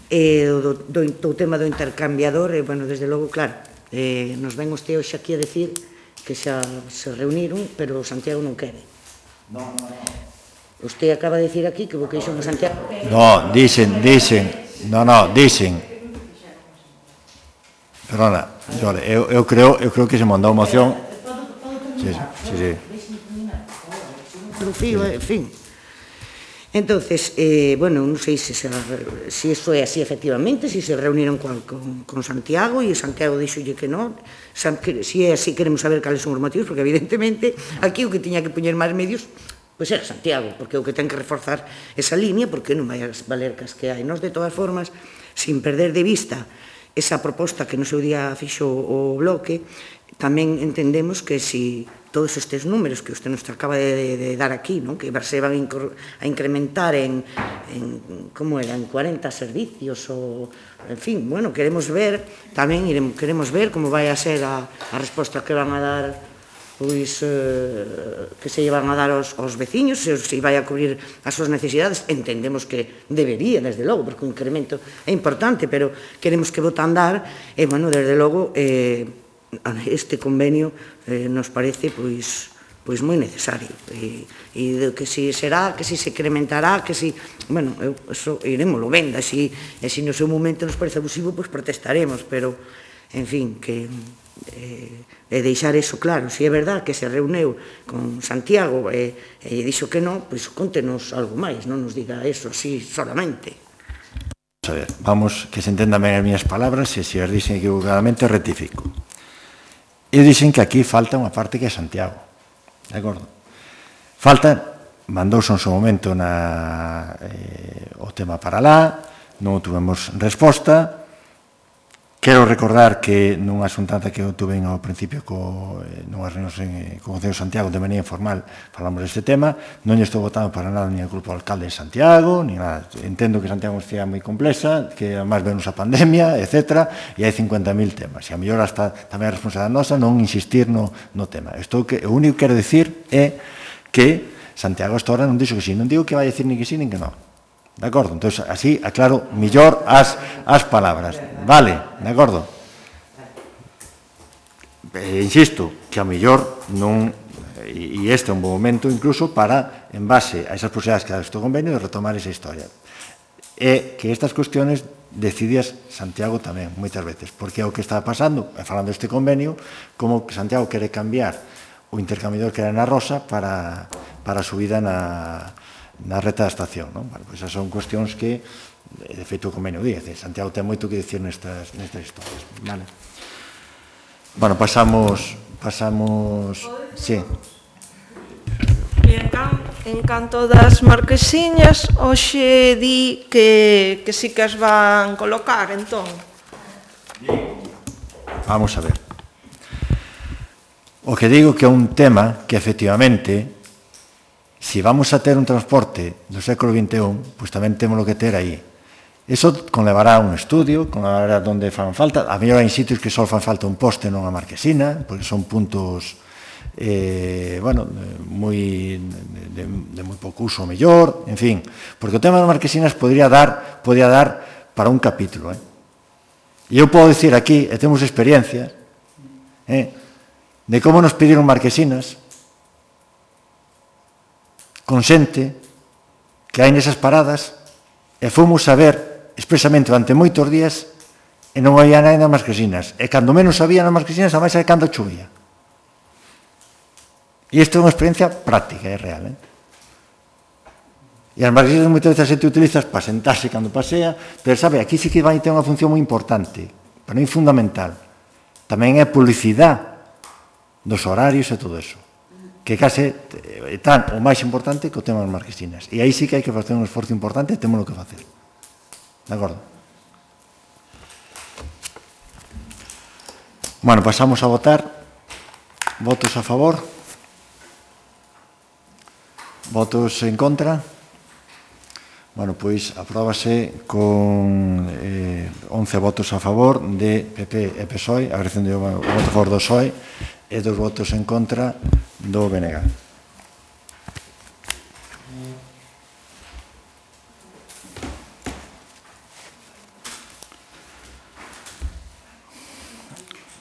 e do tema do intercambiador, e, bueno, desde logo, claro, nos ven usted hoxe aquí a decir que xa se reuniron, pero Santiago non quere. No. Usted acaba de decir aquí que o que dixo Santiago... No, dicen. Perdona, eu creo que se mandou moción... Sí. En fin. Entonces, bueno, non sei se iso é así efectivamente, se se reuniron con Santiago e Santiago dixolle que non. Se é así, queremos saber cales son os motivos, porque evidentemente aquí o que tiña que poñer máis medios pois era Santiago, porque o que ten que reforzar esa línea, porque non vai as valercas que hai. Nós, de todas formas, sin perder de vista esa proposta que no seu día fixo o Bloque, tamén entendemos que si todos estes números que usted nos acaba de dar aquí, que se van a incrementar en como era, en 40 servicios, ou, en fin, bueno, queremos ver, tamén queremos ver como vai a ser a resposta que van a dar pois que se van a dar aos veciños, se vai a cubrir as súas necesidades. Entendemos que debería, desde logo, porque o incremento é importante, pero queremos que bote a andar, e, bueno, desde logo, este convenio nos parece, pois moi necesario, e que si será, que si se incrementará, que si, bueno, eso iremoslo vendo, e se no seu momento nos parece abusivo, pois protestaremos, pero, en fin, que e deixar eso claro. Se é verdad que se reuneu con Santiago e dixo que non, pois contenos algo máis, non nos diga eso así solamente. A ver, vamos, que se entendan ben as miñas palabras, e se as dixen equivocadamente, rectifico. Eu dixen que aquí falta unha parte que é Santiago, de acordo? Falta, mandouse en seu momento o tema para lá, non tuvemos resposta. Quero recordar que nunha xuntanza que eu tuve ao principio nunhas reunións co Concello de Santiago de maneira informal falamos deste tema, non lle estou votando para nada ni ao grupo alcalde de Santiago, ni nada. Entendo que Santiago é unha cidade moi complexa, que además venos a pandemia, etc. E hai 50.000 temas. E a mellor hasta tamén é responsabilidade nosa non insistir no tema. O único que quero dicir é que Santiago hasta ahora non dixo que sí. Non digo que vai dicir ni que sí, nin que non. De acordo? Entón, así, aclaro millor as palabras. Vale, de acordo? Insisto, que a mellor non, e este é un bom momento incluso para, en base a esas posibilidades que dá este convenio, de retomar esa historia. E que estas cuestiones decidias Santiago tamén, moitas veces, porque é o que está pasando, falando deste convenio, como que Santiago quere cambiar o intercambiador que era na Rosa para a subida na reta da estación, non? Bueno, pois esas son cuestións que, de feito, o convenio di, Santiago ten moito que dicir nestas historias, vale? Bueno, pasamos, sí. En canto das marquesiñas, hoxe di que sí que as van colocar, entón. Vamos a ver. O que digo que é un tema que, efectivamente, se vamos a ter un transporte do século XXI, pois tamén temos que ter aí. Eso conlevará un estudio, conlevará onde fan falta. A mellor hai sitios que só fan falta un poste non a marquesina, porque son puntos, bueno, de moi pouco uso mellor, en fin. Porque o tema das marquesinas podría dar para un capítulo. E eu podo dicir aquí, e temos experiencias, de como nos pediron marquesinas, con xente que hai nesas paradas, e fomos a ver expresamente durante moitos días e non había nada nas marquesinas. E cando menos había nas marquesinas, a máis é cando chovía. E isto é unha experiencia práctica, é real. E as marquesinas moitas veces a xente utilizas para sentarse cando pasea, pero sabe, aquí sí que vai ter unha función moi importante, pero non fundamental. Tamén é publicidade dos horarios e todo eso, que case é tan o máis importante que o tema das marquesinas. E aí sí que hai que facer un esforzo importante e temos o que facer. De acordo? Bueno, pasamos a votar. Votos a favor. Votos en contra. Bueno, pois apróbase con 11 votos a favor de PP e PSOE, agradecendo o voto a favor do PSOE, e 2 votos en contra do BNG.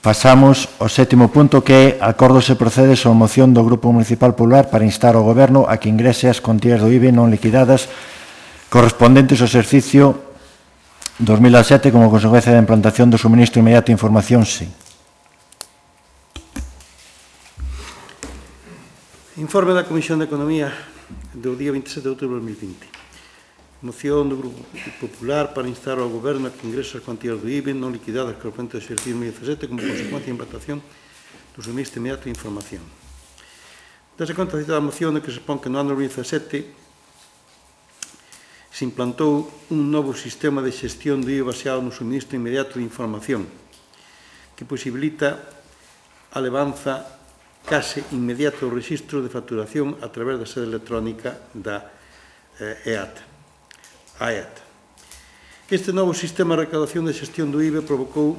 Pasamos ao 7º punto, que é acordo se procede sobre a moción do Grupo Municipal Popular para instar ao Goberno a que ingrese as contías do IBE non liquidadas correspondentes ao exercicio 2007 como consecuencia da implantación do suministro inmediato de información, sí. Informe da Comisión de Economía do día 27 de outubro de 2020. Moción do Grupo Popular para instar ao Goberno a que ingrese as cuantías do IBE non liquidadas correspondentes ao exercicio 2017 como consecuencia da implantación do suministro inmediato de información. Dase conta da citada moción de que se expón que no ano 2017 se implantou un novo sistema de xestión do IBE baseado no suministro inmediato de información que posibilita a levanza case inmediato do rexistro de facturación a través da sede electrónica da AEAT. Este novo sistema de recaudación de xestión do IBE provocou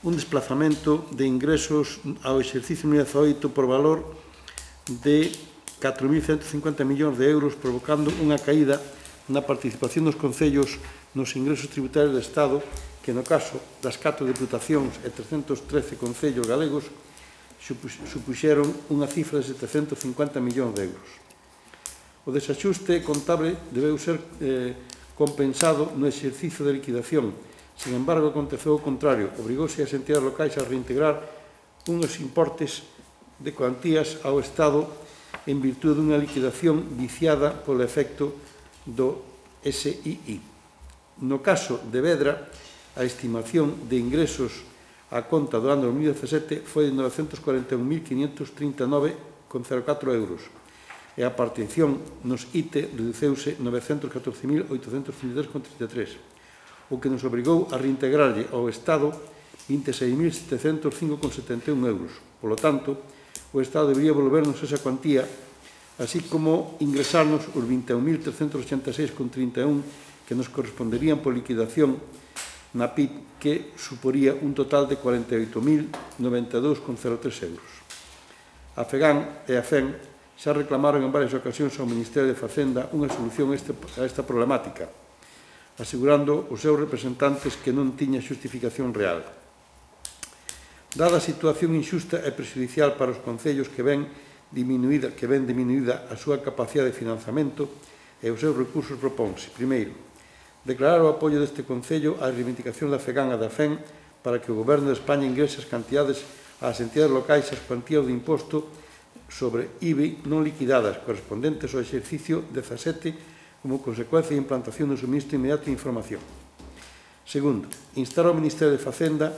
un desplazamento de ingresos ao exercicio 2018 por valor de 4.150 millóns de euros, provocando unha caída na participación dos concellos nos ingresos tributarios do Estado, que no caso das 4 diputacións e 313 concellos galegos supuxeron unha cifra de 750 millóns de euros. O desaxuste contable debeu ser compensado no exercicio de liquidación. Sin embargo, aconteceu o contrario. Obrigouse as entidades locais a reintegrar unhos importes de cuantías ao Estado en virtude dunha liquidación viciada polo efecto do SII. No caso de Vedra, a estimación de ingresos a conta do ano 2017 foi de 941.539,04 euros e a participación nos ITE reduceuse 914.833,33, o que nos obrigou a reintegrarlle ao Estado 26.705,71 euros. Por lo tanto, o Estado debería volvernos esa cuantía, así como ingresarnos os 21.386,31 que nos corresponderían por liquidación na PIB, que suporía un total de 48.092,03 euros. A FEGAN e a FEN xa reclamaron en varias ocasións ao Ministerio de Facenda unha solución a esta problemática, asegurando os seus representantes que non tiña xustificación real. Dada a situación injusta e prexudicial para os concellos que ven diminuída a súa capacidade de financiamento e os seus recursos, propónse, primeiro, declarar o apoio deste concello á reivindicación da FEGAN e da FEN para que o Goberno de España ingrese as cantidades ás entidades locais as cuantías de imposto sobre IBI non liquidadas correspondentes ao exercicio 17 como consecuencia da implantación do suministro inmediato de información. Segundo, instar ao Ministerio de Facenda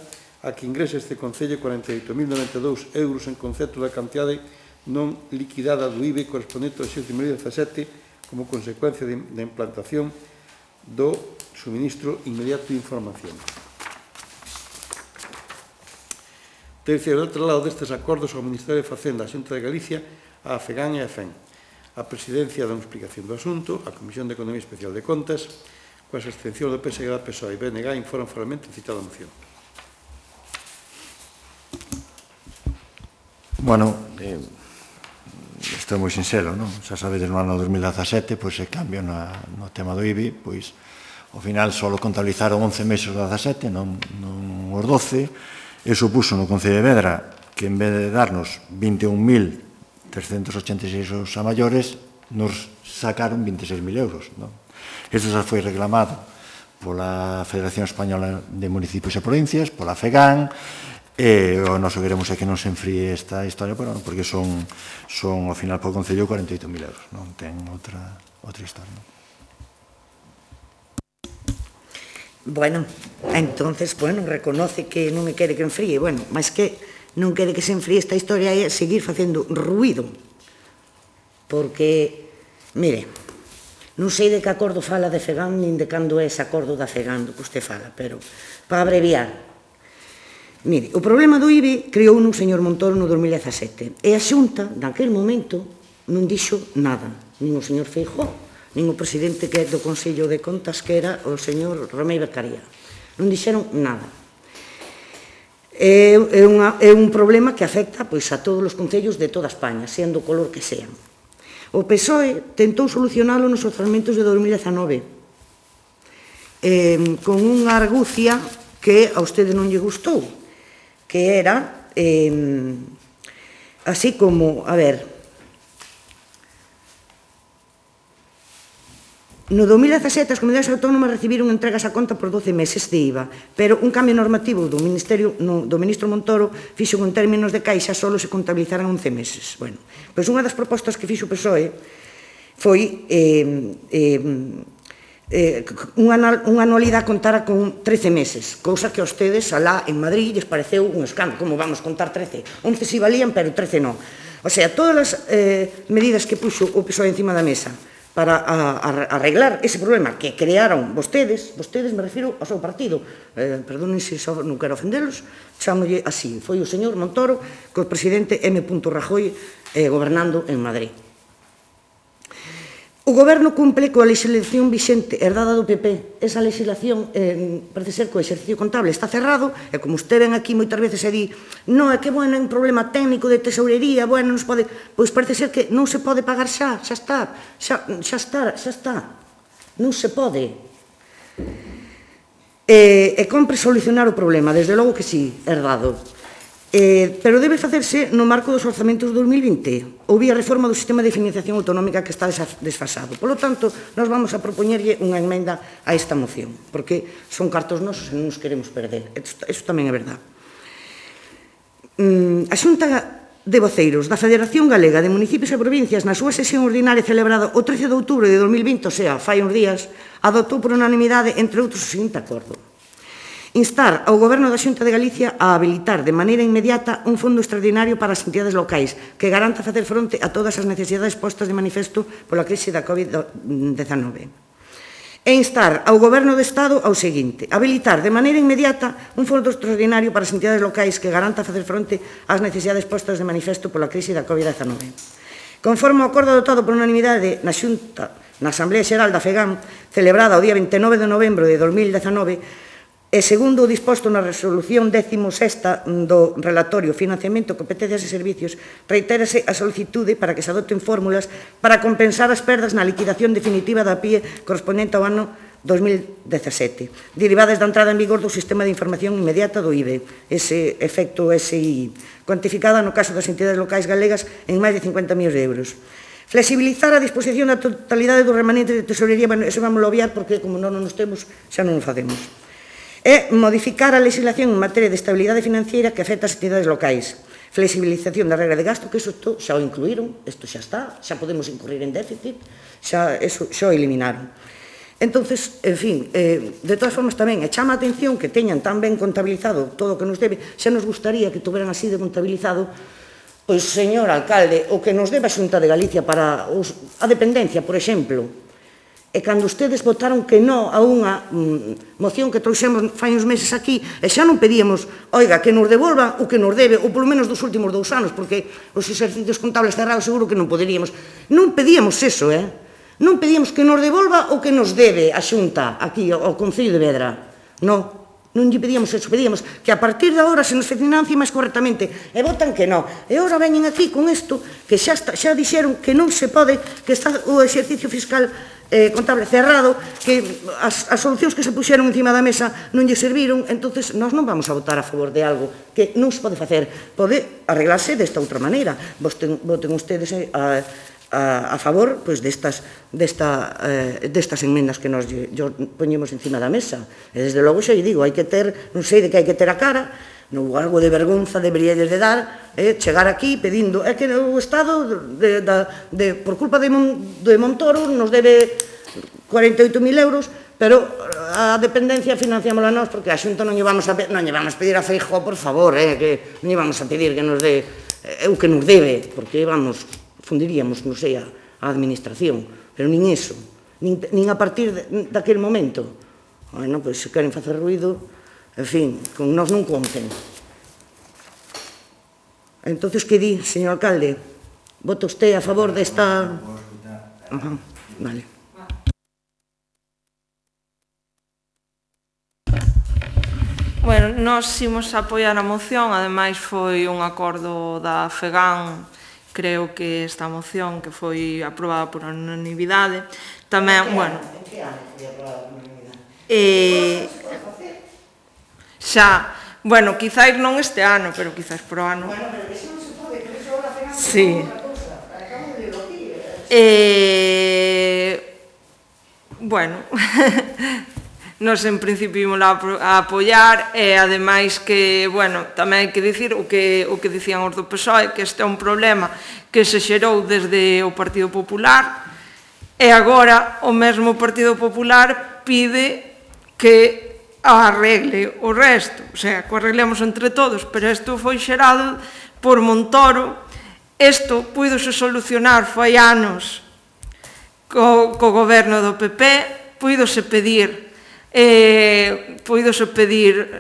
a que ingrese este concello 48.092 euros en concepto da cantidade non liquidada do IBI correspondente ao exercicio 2017 como consecuencia da implantación do suministro inmediato de información. Terceiro, do outro lado destes acordos ao Ministerio de Facenda, a Xunta de Galicia, a FEGAN e a FEN. A Presidencia dá unha explicación do asunto, a Comisión de Economía Especial de Contas, coas abstencións do PSG, da PSOE e BNG, informan formalmente citada moción. Bueno, isto é moi sincero, non? Xa sabedes, no ano 2017, pois, se cambio no tema do IBI, pois, ao final, só contabilizaron 11 meses do 17, non os 12, e supuso no Concello de Vedra que, en vez de darnos 21.386 euros a maiores, nos sacaron 26.000 euros, non? Isto xa foi reclamado pola Federación Española de Municipios e Provincias, pola FEGAN, e o noso queremos é que non se enfríe esta historia, porque son ao final por Concello 48.000 euros, non ten outra historia, non? Bueno, entonces, reconoce que non me quere que enfríe, mas que non quere que se enfríe esta historia é seguir facendo ruído, porque, mire, non sei de que acordo fala de FEGAN, nin de cando é ese acordo da FEGAN do que usted fala, pero, para abreviar, mire, o problema do IBI creou un señor Montoro no 2017 e a Xunta, naquele momento, non dixo nada, nin o señor Feijóo, nin o presidente que é do Consello de Contas, que era o señor Romei Beccaría. Non dixeron nada. É un problema que afecta a todos os concellos de toda España, sendo o color que sean. O PSOE tentou solucionalo nos orzamentos de 2019 con unha argucia que a vostede non lle gustou, que era así como, no 2017 as comunidades autónomas recibiron entregas a conta por 12 meses de IVA, pero un cambio normativo do ministro Montoro fixo en términos de caixa só se contabilizaran 11 meses. Pois unha das propostas que fixo o PSOE foi unha anualidade contara con 13 meses, cousa que a ustedes alá en Madrid lles pareceu un escándalo. Como vamos contar 13? 11 si valían, pero 13 non. O sea, todas as medidas que puxo o PSOE encima da mesa para arreglar ese problema que crearon vostedes, me refiro ao seu partido, perdonen se non quero ofendelos, chámolle así, foi o señor Montoro co presidente M. Rajoy gobernando en Madrid. O Goberno cumple coa legislación vixente herdada do PP. Esa legislación, parece ser que o exercicio contable está cerrado, e como usted ven aquí moitas veces e di non, é que, bueno, é un problema técnico de tesourería, bueno, non se pode... Pois parece ser que non se pode pagar xa está. Non se pode. E compre solucionar o problema, desde logo que sí, herdado. Pero debe facerse no marco dos orzamentos de 2020 ou vía reforma do sistema de financiación autonómica que está desfasado. Por lo tanto, nos vamos a propoñerlle unha emenda a esta moción, porque son cartos nosos e non nos queremos perder. Eso tamén é verdad. A Xunta de Voceiros da Federación Galega de Municipios e Provincias, na súa sesión ordinaria celebrada o 13 de outubro de 2020, o sea, fai uns días, adoptou por unanimidade, entre outros, o seguinte acordo: instar ao Goberno da Xunta de Galicia a habilitar de maneira inmediata un fondo extraordinario para as entidades locais que garanta facer fronte a todas as necesidades postas de manifesto pola crise da COVID-19. E instar ao Goberno do Estado ao seguinte: habilitar de maneira inmediata un fondo extraordinario para as entidades locais que garanta facer fronte ás necesidades postas de manifesto pola crise da COVID-19. Conforme ao acordo adoptado por unanimidade na Xunta, na Asamblea Xeral da FEGAM, celebrada o día 29 de novembro de 2019, e segundo o disposto na resolución 16ª do relatorio Financiamento, Competencias e Servicios, reitérase a solicitude para que se adopten fórmulas para compensar as perdas na liquidación definitiva da PIE correspondente ao ano 2017, derivadas da entrada en vigor do Sistema de Información Inmediata do IBE, ese efecto SI, cuantificada no caso das entidades locais galegas en máis de 50 millóns de euros. Flexibilizar a disposición da totalidade dos remanentes de tesorería, bueno, eso vamos a obviar porque como non nos temos, xa non o facemos. E modificar a legislación en materia de estabilidade financiera que afecta as entidades locais. Flexibilización da regra de gasto, que iso xa o incluíron, isto xa está, xa podemos incurrir en déficit, xa o eliminaron. Entonces, en fin, de todas formas tamén, chama a atención que teñan tan ben contabilizado todo o que nos debe, xa nos gustaría que tuveran así de contabilizado, pois, señor alcalde, o que nos debe a Xunta de Galicia para a dependencia, por exemplo. E cando ustedes votaron que non a unha moción que trouxemos fai uns meses aquí, e xa non pedíamos, oiga, que nos devolva o que nos debe, ou polo menos dos últimos 2 anos, porque os exercicios contables cerrados seguro que non poderíamos. Non pedíamos eso, non pedíamos que nos devolva o que nos debe a Xunta, aquí, ao Concello de Vedra. Non lle pedíamos eso, pedíamos que a partir de agora se nos financie máis correctamente, e votan que non. E agora veñen aquí con isto, que xa dixeron que non se pode, que está o exercicio fiscal contable cerrado, que as solucións que se puxeron encima da mesa non lle serviron, entonces nós non vamos a votar a favor de algo que non se pode facer, pode arreglarse desta outra maneira. Voten ustedes a favor destas enmendas que nos poñemos encima da mesa. E desde logo xa lle digo, hai que ter, non sei de que hai que ter a cara, algo de vergonza deberíades de dar, chegar aquí pedindo, é que o Estado, por culpa de Montoro, nos debe 48.000 euros, pero a dependencia financiámola nós, porque a Xunta non lle vamos a pedir a Feijóo, por favor, que non lle vamos a pedir que nos dé o que nos debe, porque, vamos, fundiríamos, non sei, a administración, pero nin eso, nin a partir daquele momento. Bueno, pois, se queren facer ruido, en fin, con nós non conten. Entonces, que di, señor alcalde? Vota usted a favor desta... Vale. Bueno, nós imos apoiar a moción, ademais foi un acordo da FEGAM, creo que esta moción que foi aprobada por unanimidade, tamén, bueno... En que ano foi aprobada por unanimidade? Xa, bueno, quizáis non este ano, pero quizáis pro ano. Bueno, pero iso non se pode, que iso agora FEGAM é outra cousa. Acabo de ler aquí. Bueno... Nos, en principio, ímos a apoiar e, ademais, que, bueno, tamén hai que dicir o que dicían os do PSOE, que este é un problema que se xerou desde o Partido Popular e agora o mesmo Partido Popular pide que arregle o resto, o sea, que o arreglemos entre todos, pero isto foi xerado por Montoro, isto puidose solucionar fai anos co goberno do PP, puidose pedir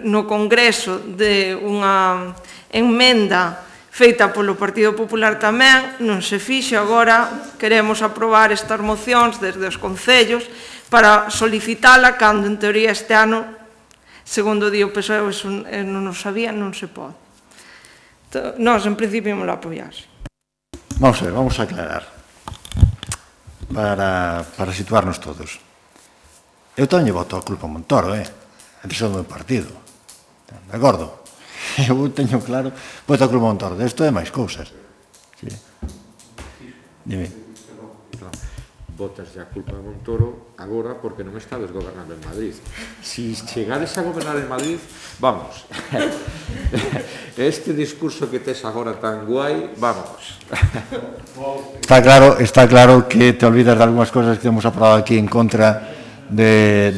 no Congreso de unha enmenda feita polo Partido Popular tamén, non se fixo. Agora queremos aprobar estas mocións desde os concellos para solicitala cando, en teoría, este ano, segundo di o PSOE, non o sabía, non se pode. Nós, en principio, ímos a apoiar. Vamos a ver, vamos a aclarar para situarnos todos. Eu tamén voto a culpa a Montoro, entre son do meu partido, de acordo? Eu teño claro, voto a culpa a Montoro, desto é máis cousas. Dime. Botas a culpa a Montoro agora porque non estades gobernando en Madrid. Si chegades a gobernar en Madrid, vamos. Este discurso que tes agora tan guai, vamos. Está claro que te olvidas de algunhas cosas que hemos aprobado aquí en contra de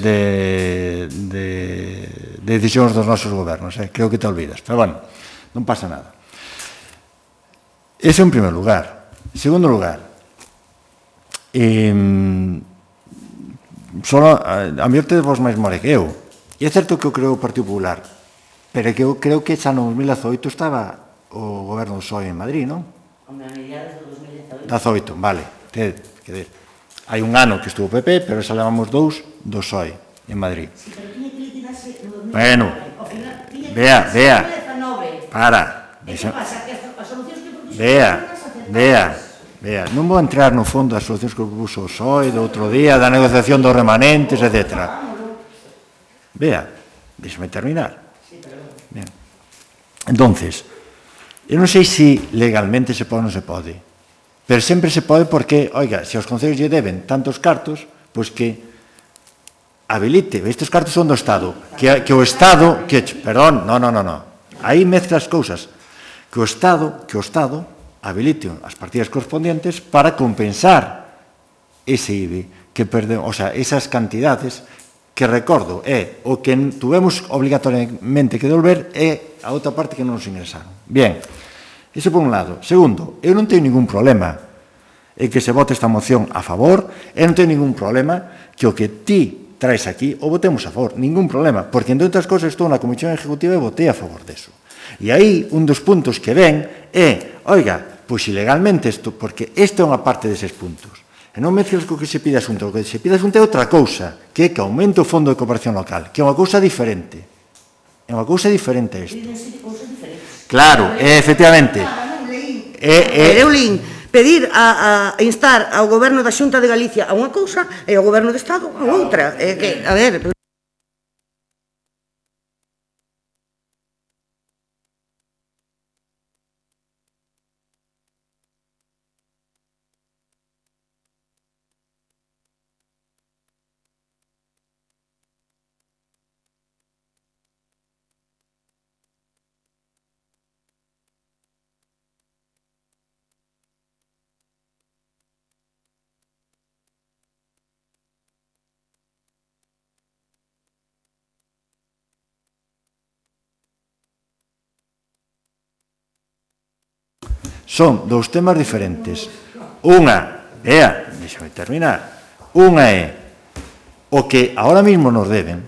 decisións dos nosos gobernos. Creo que te olvidas, pero bueno, non pasa nada. Ese en primer lugar. En segundo lugar, a mellor tedes vos máis more que eu. E é certo que eu creo o Partido Popular, pero é que eu creo que xa no 2018 estaba o goberno do PSOE en Madrid, non? A mediados do 2018. 18, vale. Hai un ano que estuvo o PP, pero xa levamos 2 do PSOE en Madrid. Bueno, vea, para. Vea, non vou entrar no fondo das solucións que propuso o PSOE do outro día, da negociación dos remanentes, etc. Vea, déxame terminar. Entonces, eu non sei se legalmente se pode ou non se pode, pero sempre se pode porque, oiga, se aos concellos lle deben tantos cartos, pois que habilite, estes cartos son do Estado, que o Estado, perdón, non, aí mezclas cousas, que o Estado habilite as partidas correspondientes para compensar ese IBI que perdemos, o sea, esas cantidades que, recordo, é o que tuvemos obligatoriamente que devolver e a outra parte que non nos ingresaron. Bien, iso por un lado. Segundo, eu non teño ningún problema en que se vote esta moción a favor, eu non teño ningún problema que o que ti traes aquí o votemos a favor, ningún problema, porque, entre outras cosas, estou na Comisión Ejecutiva e votei a favor deso. E aí, un dos puntos que ven é, oiga, pois ilegalmente isto, porque esta é unha parte deses puntos. E non mezclas co que se pide asunto, o que se pide asunto é outra cousa, que é que aumente o fondo de cooperación local, que é unha cousa diferente. É unha cousa diferente a isto. Claro, efectivamente. Eu lín pedir a instar ao Goberno da Xunta de Galicia a unha cousa e ao Goberno do Estado a outra. A ver... Son dous temas diferentes. Unha, deixame terminar, unha é o que ahora mismo nos deben,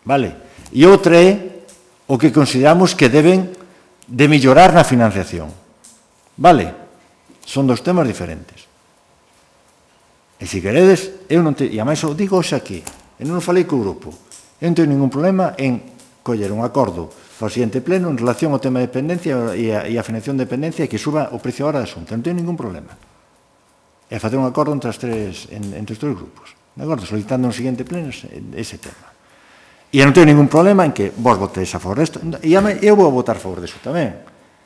vale? E outra é o que consideramos que deben de mellorar na financiación, vale? Son dous temas diferentes. E se queredes, eu non te... E a máis o digo hoxe aquí, e non o falei co grupo, eu non teño ningún problema en coller un acordo para o seguinte pleno en relación ao tema de dependencia e a financiación de dependencia e que suba o precio ahora da Xunta. Non teño ningún problema. E facer un acordo entre os tres grupos. De acordo? Solicitando no seguinte pleno ese tema. E non teño ningún problema en que vos votéis a favor desto. E eu vou votar a favor deso tamén.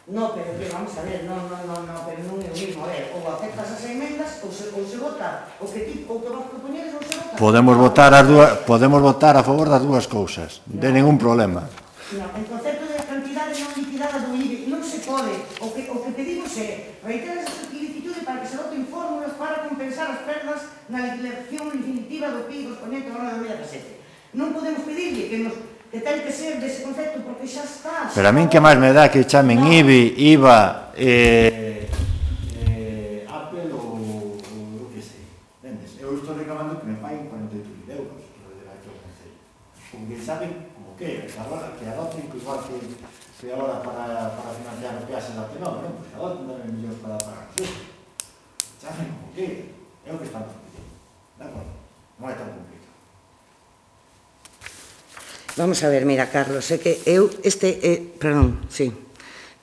No, pero que vamos a ver, pero non é o mismo. A ver, ou aceptas as emendas ou se vota o que vos propoñedes ou se vota... Podemos votar a favor das dúas cousas. De ningún problema. No, en concepto de cantidade non liquidada do IBI non se pode. O que pedimos é reiterar esa solicitude para que se voten fórmulas para compensar as perdas na liquidación definitiva do PIB correspondiente ao ano 2017. Non podemos pedirlle que ten que ser dese concepto porque xa está. Pero a min que máis me dá que chamen IBI, IVA, Apple ou o que sei. Vendes? Eu estou reclamando que me paguen 48.000 euros que de aquí ao Concello. Porque saben como que, que adoten igual que que agora para financiar o peaxe da P9, non? Pois agora tendrán millóns para pagar os euros. Chafen como que é o que estamos pedindo. De acordo? Non é tan complicado. Vamos a ver, mira, Carlos, é que eu, perdón, sí,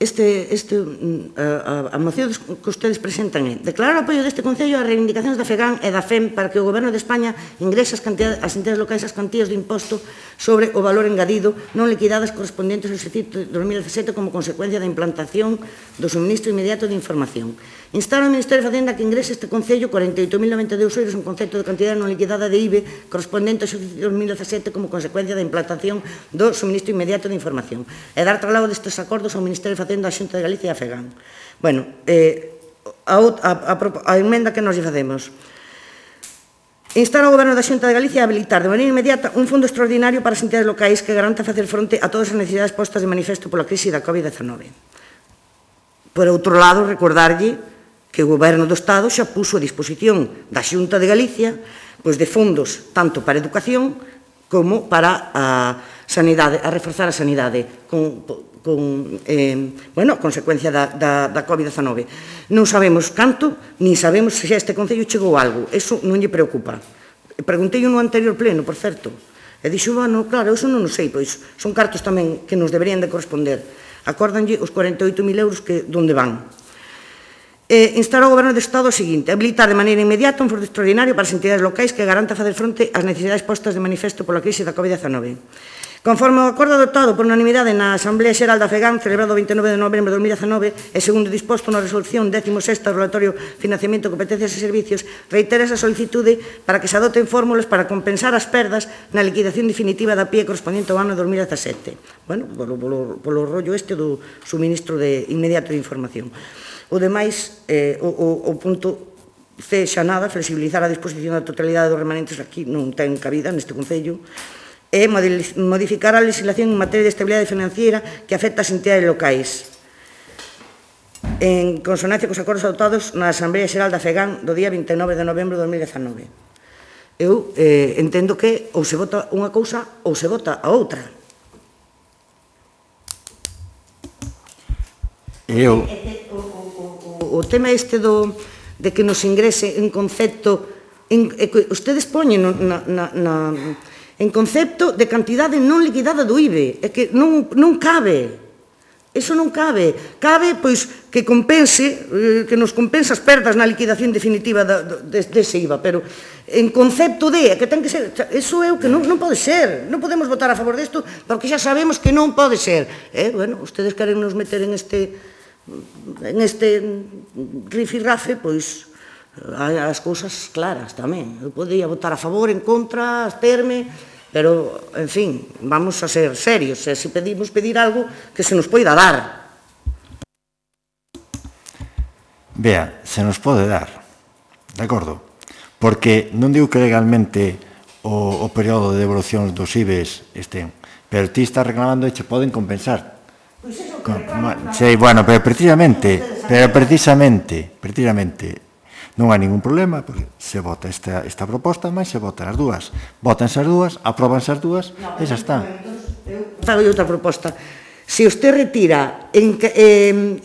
a moción que ustedes presentan é declarar o apoio deste Concello ás reivindicacións da FEGAN e da FEM para que o Goberno de España ingrese as entidades locais as cantías de imposto sobre o valor engadido non liquidadas correspondentes ao exercicio de 2017 como consecuencia da implantación do suministro inmediato de información. Instar ao Ministerio de Facenda que ingrese este Concello 48.092 euros en concepto de cantidade non liquidada de IBE correspondente ao exercicio de 2017 como consecuencia da implantación do suministro inmediato de información e dar traslado destes acordos ao Ministerio de Facenda, a Xunta de Galicia e a FEGAN. Bueno, a emenda que nos lle facemos. Instar ao Goberno da Xunta de Galicia a habilitar de maneira inmediata un fondo extraordinario para as entidades locais que garanta facer fronte a todas as necesidades postas de manifesto pola crise da COVID-19. Por outro lado, recordarlle que o Goberno do Estado xa puso a disposición da Xunta de Galicia pois de fondos tanto para a educación como para a sanidade, a reforzar a sanidade a consecuencia da COVID-19. Non sabemos canto, ni sabemos se xa este Concello chegou algo. Eso non lle preocupa. Preguntei no anterior pleno, por certo. E dixo, bueno, claro, eso non o sei, pois son cartos tamén que nos deberían de corresponder. Acórdanlle os 48.000 euros que donde van. Instar ao Goberno do Estado o seguinte, habilitar de maneira inmediata un fondo extraordinario para as entidades locais que garanta facer fronte ás necesidades postas de manifesto pola crise da COVID-19. Conforme ao acordo adoptado por unanimidade na Asamblea Xeral da FEGAN, celebrado o 29 de novembro de 2019, e segundo disposto na resolución 16ª do relatorio Financiamento, Competencias e Servicios, reitera esa solicitude para que se adoten fórmulas para compensar as perdas na liquidación definitiva da PIE correspondente ao ano 2017. Bueno, polo rollo do suministro inmediato de información. O demais, o punto C xa nada, flexibilizar a disposición da totalidade dos remanentes, aquí non ten cabida neste Concello, e modificar a legislación en materia de estabilidade financiera que afecta as entidades locais, en consonancia cos acordos adoptados na Asamblea Xeral da FEGAN do día 29 de novembro de 2019. Eu entendo que ou se vota unha cousa ou se vota a outra. O tema de que nos ingrese en concepto, ustedes poñen en concepto de cantidade non liquidada do IBE, é que non cabe, eso non cabe, pois que compense, que nos compense as perdas na liquidación definitiva dese IVA, pero en concepto que ten que ser, eso é o que non pode ser, non podemos votar a favor desto, porque xa sabemos que non pode ser, bueno, ustedes queren nos meter en este rifirrafe, pois as cousas claras tamén, eu podía votar a favor, en contra, absterme, pero, en fin, vamos a ser serios, se pedimos pedir algo que se nos poida dar. Vea, se nos pode dar, de acordo? Porque non digo que legalmente o período de devolución dos IBEs estén, pero ti estás reclamando e che poden compensar. Pois é o que reclaman. Sí, bueno, pero precisamente, non hai ningún problema, porque se vota esta proposta, mas se votan as dúas. Votanse as dúas, apróbanse as dúas, e xa está. Fago outra proposta. Se usted retira,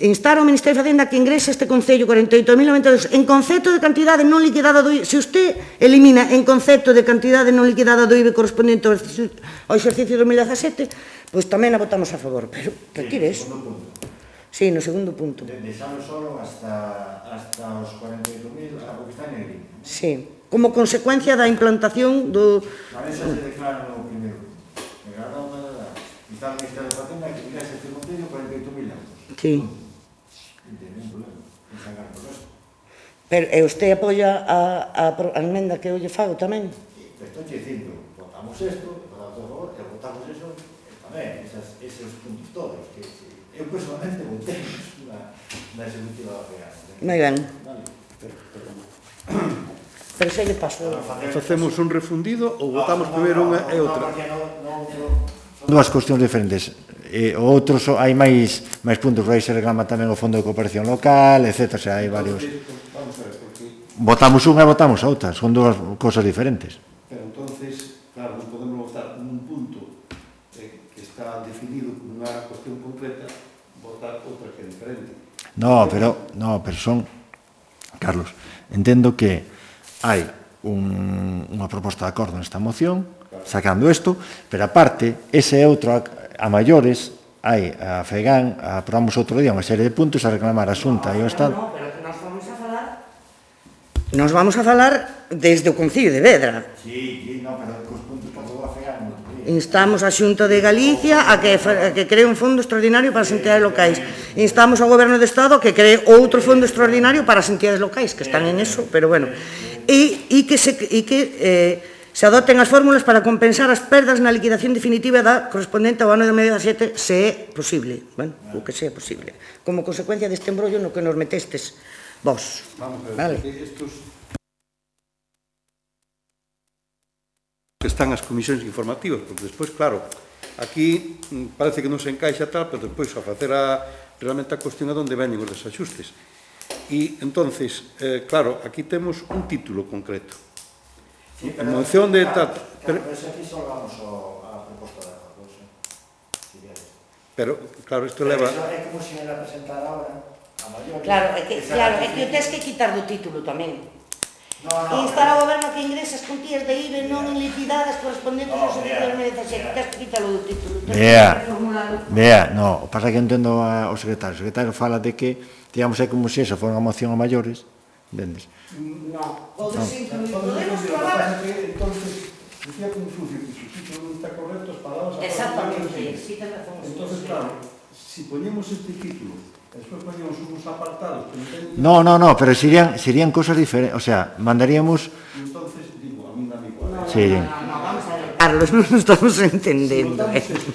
instar ao Ministerio de Facenda que ingrese este Concello 48.092 en concepto de cantidade non liquidada do IBE, se usted elimina en concepto de cantidade non liquidada do IBE correspondente ao exercicio 2017, pois tamén a votamos a favor, pero retire eso. Sí, no segundo punto. Deixamos solo hasta os 48.000, o que está en el IBE. Sí, como consecuencia da implantación do... A ver se declara no primeiro. Está o Ministerio de Facenda que ingresa este Concello 48.000 euros. Sí. Non ten ningún problema, non se agarra por eso. Pero usted apoia a emenda que eu lle fago tamén? Estou dicindo, votamos isto, votamos a favor, e votamos eso, tamén, esos puntos todos, que eu personalmente votei na executiva da FEGAN. Moi ben. Pero xa lle paso. Facemos un refundido ou votamos primeiro unha e outra? Son dúas cuestións diferentes. Outros, hai máis puntos, aí se reclama tamén o Fondo de Cooperación Local, etc. Xa hai varios. Votamos unha e votamos a outra, son dúas cosas diferentes. Pero entonces, claro, non podemos votar un punto que está definido como unha cuestión concreta, votar outra que é diferente. No, pero son, Carlos, entendo que hai unha proposta de acordo nesta moción, sacando isto, pero aparte, ese é outro a maiores, hai a FEGAN, aprobamos outro día unha serie de puntos a reclamar a Xunta e o Estado. No, pero que nos vamos a falar desde o Concello de Vedra. Sí, no, pero cos puntos que aprobou a FEGAN. Instamos a Xunta de Galicia a que cree un fondo extraordinario para as entidades locais. Instamos ao Goberno de Estado a que cree outro fondo extraordinario para as entidades locais, que están en eso, pero bueno. E que se adopten as fórmulas para compensar as perdas na liquidación definitiva da correspondente ao ano de 2017, se é posible. Bueno, o que sea posible. Como consecuencia deste embrollo no que nos metestes vos. Vamos a ver, Vale. estos que están as comisións informativas, porque despois, claro, aquí parece que non se encaixa tal, pero despois a facer realmente a cuestión a onde veñen os desaxustes. E, entonces, claro, aquí temos un título concreto. Sí, a moción de tal... Pero aquí só vamos a proposta de acordo, pero, claro, isto leva... É como se ela presentara ahora a maior... Claro, é que o tes que quitar do título tamén. Instar ao Goberno que ingrese as contías de IBE non liquidadas correspondentes ao servicio de 2017. Tes que quitalo do título. Vea, no, o pasa que entendo ao secretario. O secretario fala de que, digamos, é como se esa fora unha moción a maiores, entendes? No, podemos probar... Entonces, decía Confucio que su sitio non está correcto, as palabras... Exactamente, sí, ten razón. Entonces, claro, si poñemos este título, despois poñemos uns apartados que non teñen... No, pero serían cosas diferentes, o sea, mandaríamos... Entonces, digo, a mí dame igual. Sí. No, vamos a ver. Carlos, non nos estamos entendendo. Si votamos isto,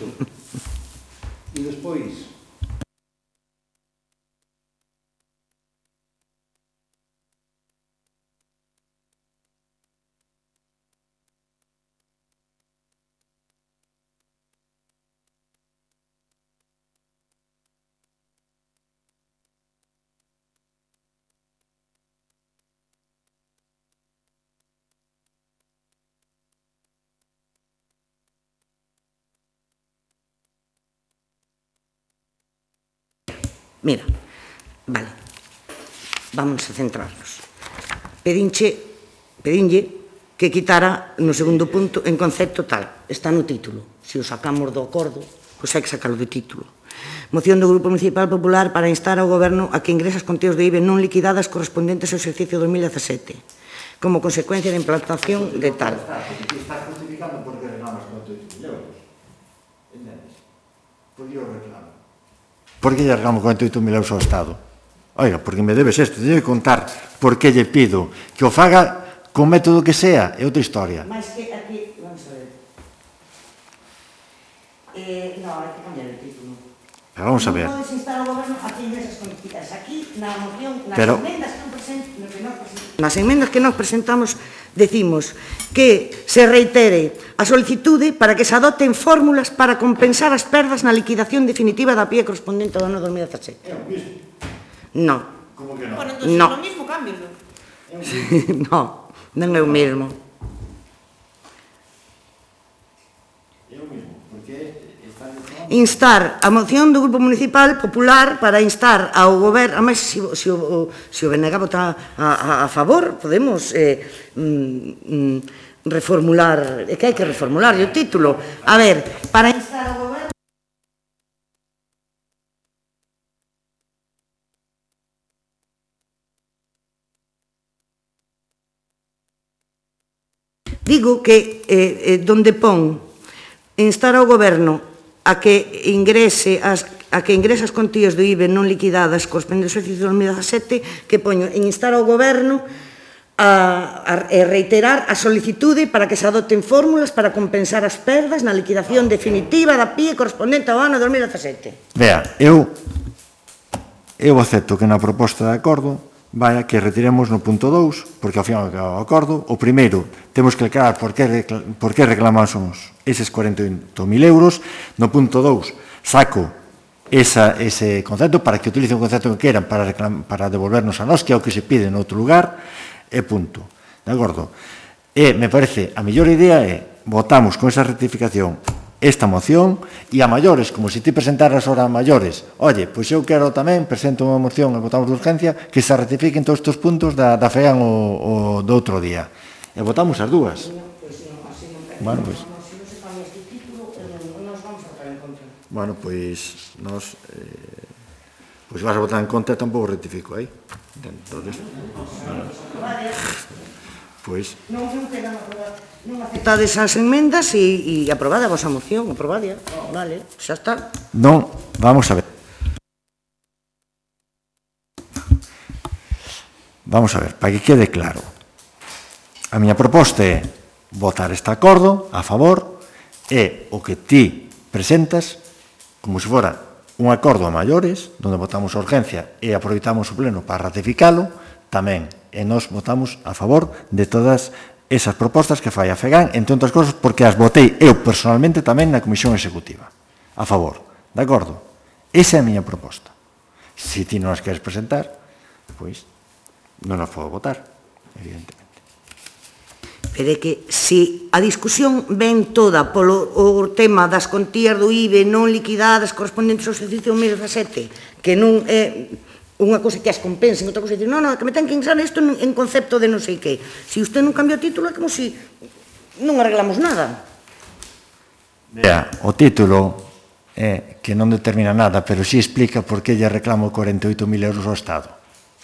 e despois... Mira, vale, vamos a centrarnos. Pedinlle que quitara no segundo punto en concepto tal, está no título. Se o sacamos do acordo, pois hai que sacarlo do título. Moción do Grupo Municipal Popular para instar ao Goberno a que ingrese as contías de IBE non liquidadas correspondentes ao exercicio 2017, como consecuencia da implantación de tal. Estás justificando porque reclamas 48.000 euros, entendes? Por que o reclamo? Por que lle reclamo 48.000 euros ao Estado? Oiga, porque me debes isto, teño que contar por que lle pido que o faga con método que sea, é outra historia. Mais que aquí, vamos a ver. No, hai que cambiar el título. Pero vamos a ver. Non podes instar ao Goberno a que ingreses contidas. Aquí, na moción, nas enmendas que nos presentamos, decimos que se reitere a solicitude para que se adopten fórmulas para compensar as perdas na liquidación definitiva da PIE correspondente ao ano 2017. É o mismo. No. Como que non? Bueno, entón, No. lo mismo, cámbialo. No, non é o mesmo. É o mismo, porque está... Instar a moción do Grupo Municipal Popular para instar ao Goberno, a máis, se o BNG vota a favor, podemos reformular, é que hai que reformular o título. A ver, para instar ao Goberno... Digo que donde pon instar ao Goberno a que ingrese as contías do IBE non liquidadas correspondentes ao exercicio 2017, que poño en instar ao Goberno a reiterar a solicitude para que se adopten fórmulas para compensar as perdas na liquidación definitiva da PIE correspondente ao ano 2017. Vea, eu acepto que na proposta de acordo vaya que retiremos no punto 2, porque ao final do acordo, o primeiro, temos que aclarar por que reclamamos eses 48.000 euros, no punto 2, saco ese concepto para que utilicen o concepto que queran para devolvernos a nós, que é o que se pide en outro lugar, e punto. De acordo? E me parece, a mellor idea é, votamos con esa rectificación esta moción e a maiores, como se ti presentaras ahora a maiores, oye, pois eu quero tamén, presento unha moción e votamos de urgencia que se ratifiquen todos estes puntos da FEAN o do outro día. E votamos as dúas. Bueno, pois... Bueno, pois nos... Pois vas a votar en contra e tampouco rectifico aí. Entonces... Pois... Non aceptades as enmendas e aprobada a vosa moción, aprobada, vale, xa está. Non, vamos a ver. Vamos a ver, para que quede claro. A miña proposta é votar este acordo a favor e o que ti presentas como se fora un acordo a maiores, onde votamos a urgencia e aproveitamos o pleno para ratificalo, tamén, e nos votamos a favor de todas esas propostas que fai a FEGAN, entre outras cosas, porque as votei eu personalmente tamén na Comisión Executiva. A favor, de acordo? Esa é a miña proposta. Se ti non as queres presentar, pois non as podo votar, evidentemente. Pero é que se a discusión ven toda polo tema das contías do IBE non liquidadas correspondentes ao exercicio 2017, que non é unha cosa que as compensen, outra cosa é dicir, non, que me ten que ingresar isto en concepto de non sei que. Se usted non cambia o título é como se non arreglamos nada. Vea, o título é que non determina nada, pero sí explica por que lle reclamo 48.000 euros ao Estado.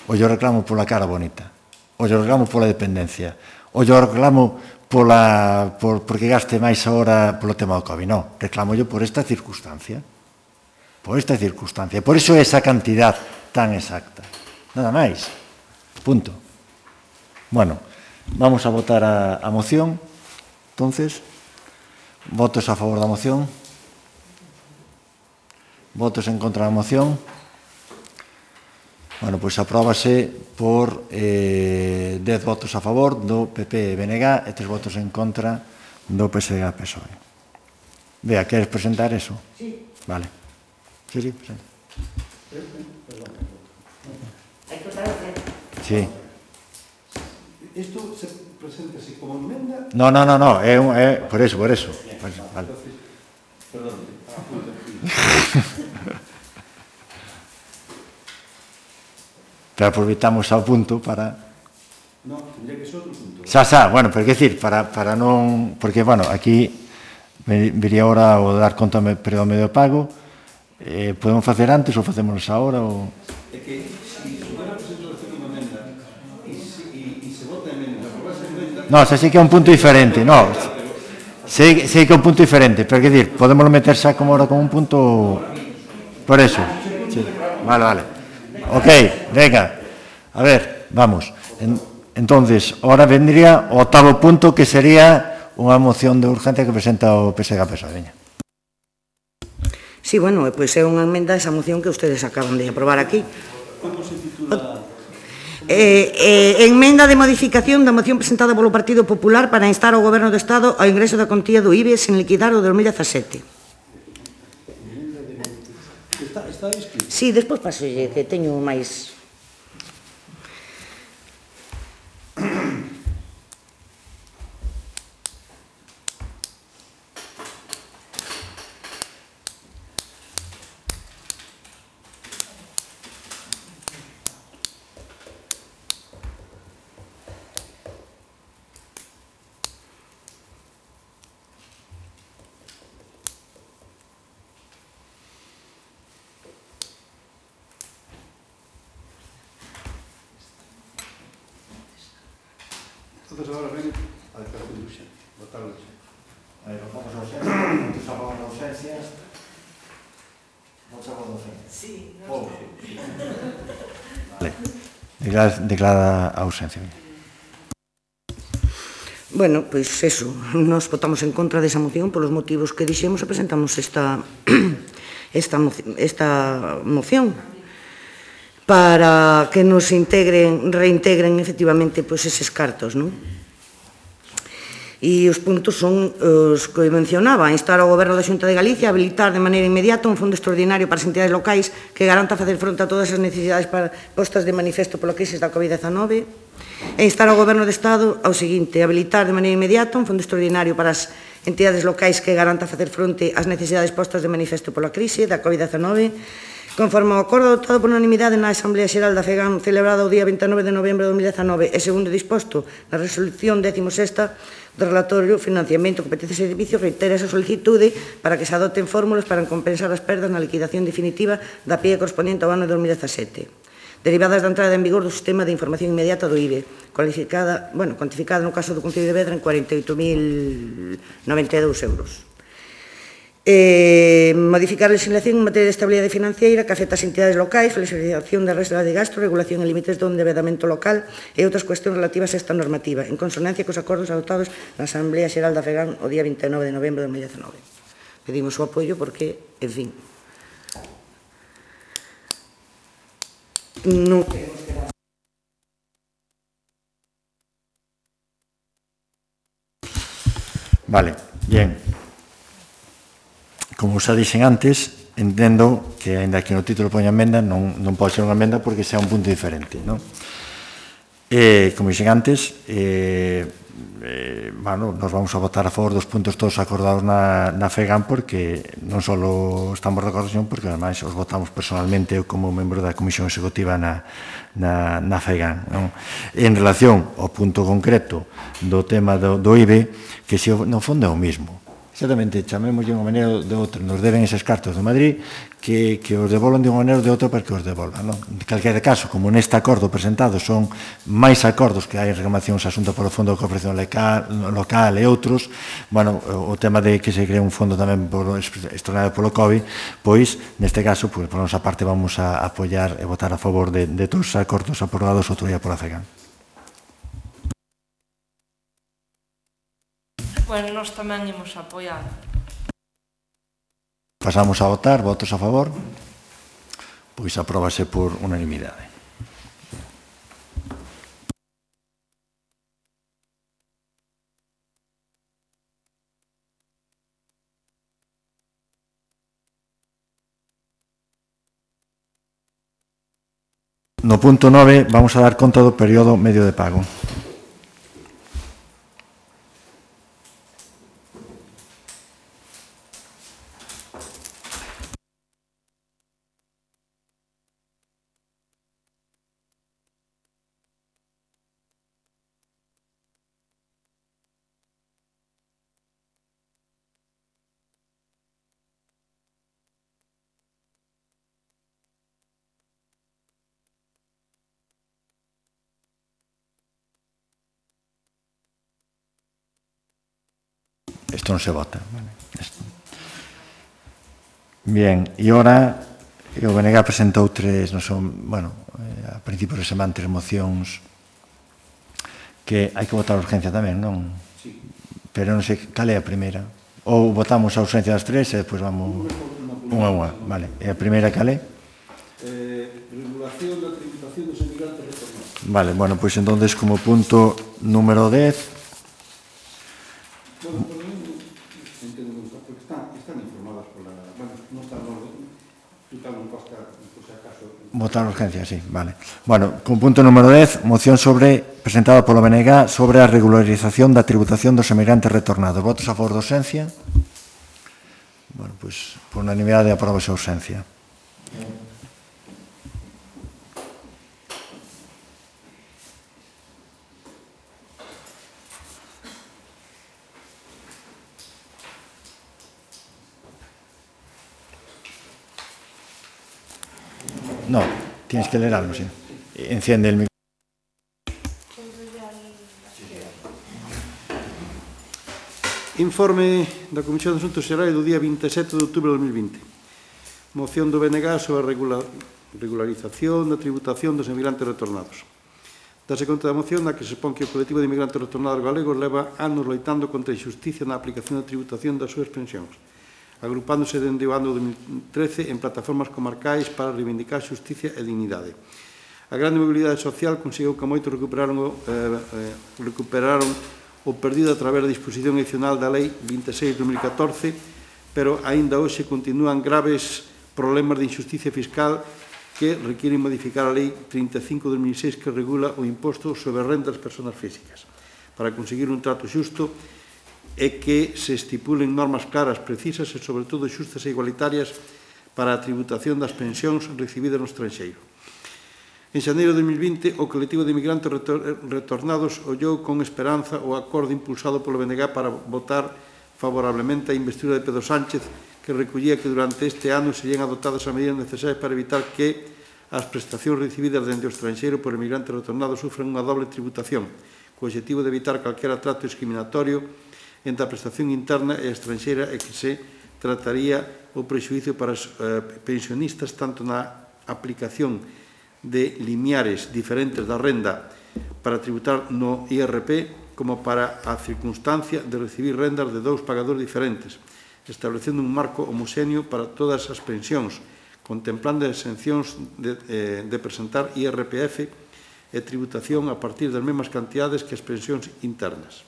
O yo reclamo pola cara bonita, o yo reclamo pola dependencia, o yo reclamo porque gaste máis ahora polo tema do COVID. Non, reclamo yo por esta circunstancia. Por esta circunstancia. Por iso é esa cantidad tan exacta. Nada máis. Punto. Bueno, vamos a votar a moción. Entonces, votos a favor da moción. Votos en contra da moción. Bueno, pois apróbase por 10 votos a favor do PP e BNG e 3 votos en contra do PSG e PSOE. Vea, queres presentar eso? Sí. Vale. Sí, presenta. Sí. Isto se presenta así como enmenda? No, é por eso. Vale. Perdón. Pero aproveitamos ao punto para... No, tendría que ser outro punto. Bueno, pero que decir, para non... Porque, bueno, aquí viría ahora o dar conta do medio de pago. Podemos facer antes ou facemos agora ou... É que, se hubiera presentado esta como emenda e se vota emenda, aprobase emenda... No, xa sei que é un punto diferente, no. Sei que é un punto diferente, pero que decir, podemos meter xa como ahora como un punto... Por eso. Sí. Vale. Ok, venga. A ver, vamos. Entonces, ahora vendría o octavo punto, que sería unha moción de urgencia que presenta o PSG PSOE. Sí, bueno, pois é unha enmenda a esa moción que ustedes acaban de aprobar aquí. Como se titula? Enmenda de modificación da moción presentada polo Partido Popular para instar ao Goberno do Estado ao ingreso da contía do IBE sen liquidar o 2017. Está escrito? Sí, despois pasolle, que teño máis... Entonces ahora ven a declaración de urgencia. Votar a urgencia. Votamos a urgencia, votos a favor da urgencia. Votos a favor da urgencia. Sí. Vale. Declara a urgencia. Bueno, pois eso, nos votamos en contra desa moción polos motivos que dixemos e presentamos esta moción para que nos reintegren efectivamente eses cartos, non? E os puntos son os que mencionaba: instar ao Goberno da Xunta de Galicia a habilitar de maneira inmediata un fondo extraordinario para as entidades locais que garanta facer fronte a todas as necesidades postas de manifesto pola crise da COVID-19, e instar ao Goberno do Estado ao seguinte: habilitar de maneira inmediata un fondo extraordinario para as entidades locais que garanta facer fronte ás necesidades postas de manifesto pola crise da COVID-19, conforme ao acordo adoptado por unanimidade na Asamblea Xeral da FEGAM celebrada o día 29 de novembro de 2019 e segundo disposto na resolución 16ª do relatorio Financiamento, Competencias e Servicios, reitera esa solicitude para que se adopten fórmulas para compensar as perdas na liquidación definitiva da PIE correspondiente ao ano 2017, derivadas da entrada en vigor do sistema de información inmediata do IBE, cuantificada no caso do Concello de Vedra en 48.092 euros. Modificar a legislación en materia de estabilidade financiera que afecta as entidades locais, flexibilización da reserva de gasto, regulación en límites do endeudamento local e outras cuestións relativas a esta normativa, en consonancia cos acordos adoptados na Asamblea Xeral da FEGAM o día 29 de novembro de 2019. Pedimos o apoio porque, en fin, non queremos quedar. Vale, bien. Como xa dixen antes, entendo que, ainda que no título poña emenda, non pode ser unha emenda porque sea un punto diferente, non? Como dixen antes, nos vamos a votar a favor dos puntos todos acordados na FEGAM porque non só estamos de acordo, sino porque ademais os votamos personalmente como membro da Comisión Executiva na FEGAM, non? En relación ao punto concreto do tema do IBE, que se no fondo é o mismo. Exactamente, chamemos de unha maneira ou de outra. Nos deben eses cartos de Madrid que os devolvan de unha maneira ou de outra para que os devolvan. En calquera caso, como neste acordo presentado son máis acordos que hai en reclamacións asunto polo Fondo de Cooperación Local e outros, o tema de que se cree un fondo tamén extraordinario polo COVID, pois, neste caso, por nosa parte, vamos a apoiar e votar a favor de todos os acordos aprobados outro día pola FEGAM. Bueno, nós tamén imos apoiar. Pasamos a votar, votos a favor, pois apróbase por unanimidade. No punto 9 vamos a dar conta do período medio de pago. Isto non se vota. Bien, e ora o BNG presentou a principios de semana 3 mocións que hai que votar a urgencia tamén, non? Sí. Pero non sei, cal é a primeira? Ou votamos a urgencia das 3 e depois vamos unha a unha, vale. E a primeira cal é? Regulación da tributación dos emigrantes retornados. Vale, pois entonces como punto número 10. Votar a urgencia, sí, vale. Con punto número 10, moción presentada polo BNG sobre a regularización da tributación dos emigrantes retornados. Votos a favor da urgencia? Pois, por unanimidade, aprobase a urgencia. No, tienes que leer algo, sí. Enciende el micrófono. Informe da Comisión de Asuntos Xerais do día 27 de outubro de 2020. Moción do BNG sobre a regularización da tributación dos emigrantes retornados. Dase conta da moción na que se expón que o colectivo de emigrantes retornados galegos leva anos loitando contra a injusticia na aplicación da tributación das súas pensións, agrupándose dende o ano 2013 en plataformas comarcais para reivindicar xusticia e dignidade. A grande mobilidade social conseguiu que moito recuperaron o perdido a través da disposición adicional da Lei 26/2014, pero aínda hoxe continúan graves problemas de injusticia fiscal que requieren modificar a Lei 35/2006 que regula o imposto sobre a renda das persoas físicas para conseguir un trato xusto é que se estipulen normas claras, precisas e, sobre todo, xustas e igualitarias para a tributación das pensións recibidas no estranxeiro. En xaneiro de 2020, o colectivo de inmigrantes retornados ollou con esperanza o acordo impulsado polo BNG para votar favorablemente a investidura de Pedro Sánchez, que recollía que durante este ano serían adoptadas as medidas necesarias para evitar que as prestacións recibidas dende o estranxeiro por inmigrantes retornados sufren unha doble tributación, co objetivo de evitar calquera trato discriminatorio entre a prestación interna e a estranxeira e que se trataría o prexuízo para os pensionistas tanto na aplicación de limiares diferentes da renda para tributar no IRP como para a circunstancia de recibir rendas de dous pagadores diferentes, establecendo un marco homoxéneo para todas as pensións, contemplando as exencións de presentar IRPF e tributación a partir das mesmas cantidades que as pensións internas.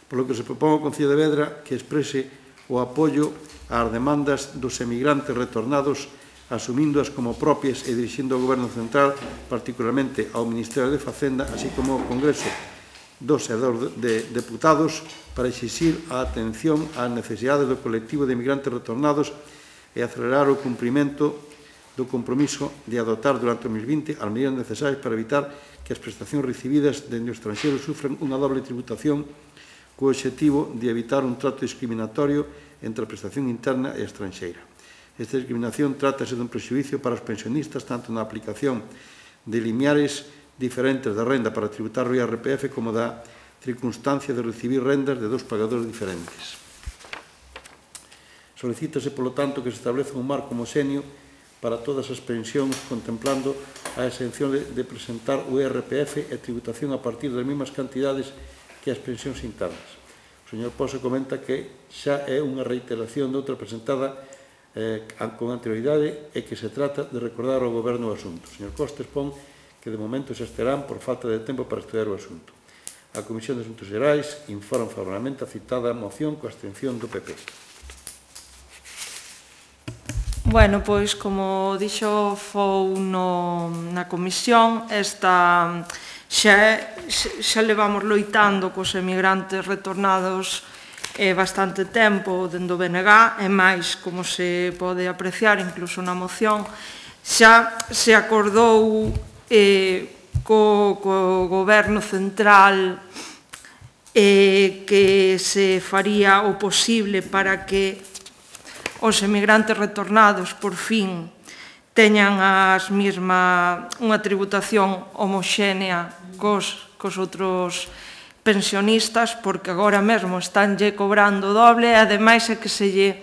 Por lo que se propón ao Concello de Vedra que exprese o apoio ás demandas dos emigrantes retornados, asumíndoas como propias e dirixindo ao Goberno Central, particularmente ao Ministerio de Facenda, así como ao Congreso dos Deputados, para exixir a atención ás necesidades do colectivo de emigrantes retornados e acelerar o cumprimento do compromiso de adoptar durante o 2020 as medidas necesarias para evitar que as prestacións recibidas dende o estranxeiro sufran unha doble tributación co objetivo de evitar un trato discriminatorio entre a prestación interna e a estranxeira. Esta discriminación trátase dun prexuízo para os pensionistas tanto na aplicación de limiares diferentes da renda para tributar o IRPF como da circunstancia de recibir rendas de dous pagadores diferentes. Solicítase, polo tanto, que se estableza un marco homoxéneo para todas as pensións, contemplando a exención de presentar o IRPF e tributación a partir das mesmas cantidades que as pensións internas. O señor Pozo comenta que xa é unha reiteración de outra presentada con anterioridade e que se trata de recordar ao Goberno o asunto. O señor Costa expón que de momento se estarán por falta de tempo para estudiar o asunto. A Comisión de Asuntos Xerais informa favorablemente a citada moción coa abstención do PP. Bueno, pois, como dixo Fou na comisión, esta xa levamos loitando cos emigrantes retornados bastante tempo dende o BNG, e máis, como se pode apreciar incluso na moción, xa se acordou co Goberno Central que se faría o posible para que os emigrantes retornados por fin teñan unha tributación homoxénea cos outros pensionistas, porque agora mesmo estánlle cobrando doble, e ademais é que se lle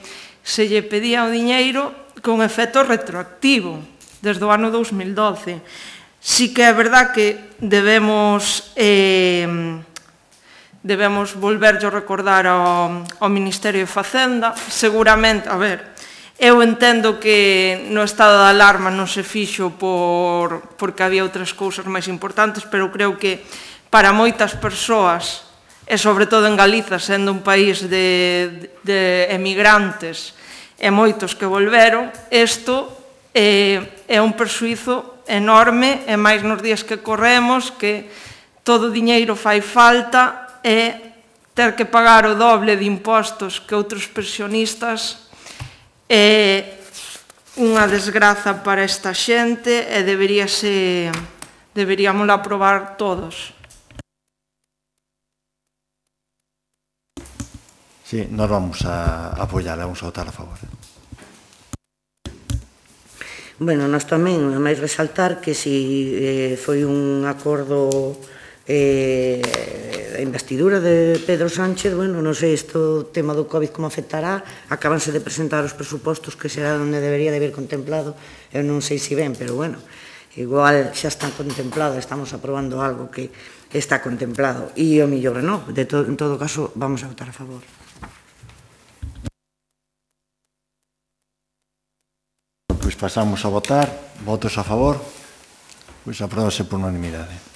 pedía o diñeiro con efecto retroactivo desde o ano 2012. Sí que é verdad que debemos volverlle recordar ao Ministerio de Facenda. Seguramente, eu entendo que no estado de alarma non se fixo porque había outras cousas máis importantes, pero creo que para moitas persoas, e sobre todo en Galiza, sendo un país de emigrantes e moitos que volveron, isto é un perxuízo enorme, e máis nos días que corremos, que todo o diñeiro fai falta e ter que pagar o doble de impostos que outros pensionistas é unha desgraza para esta xente e deberíamos aprobar todos. Sí, nos vamos a apoiar, vamos a votar a favor. Bueno, nós tamén, a máis resaltar que si foi un acordo a investidura de Pedro Sánchez, bueno, non sei isto, o tema do COVID como afectará, acabanse de presentar os presupostos que será onde debería de haber contemplado, eu non sei se ben, pero bueno, igual xa están contemplados, estamos aprobando algo que está contemplado, e o mellor non, en todo caso vamos a votar a favor. Pois pasamos a votar, votos a favor, pois apróbase por unanimidade.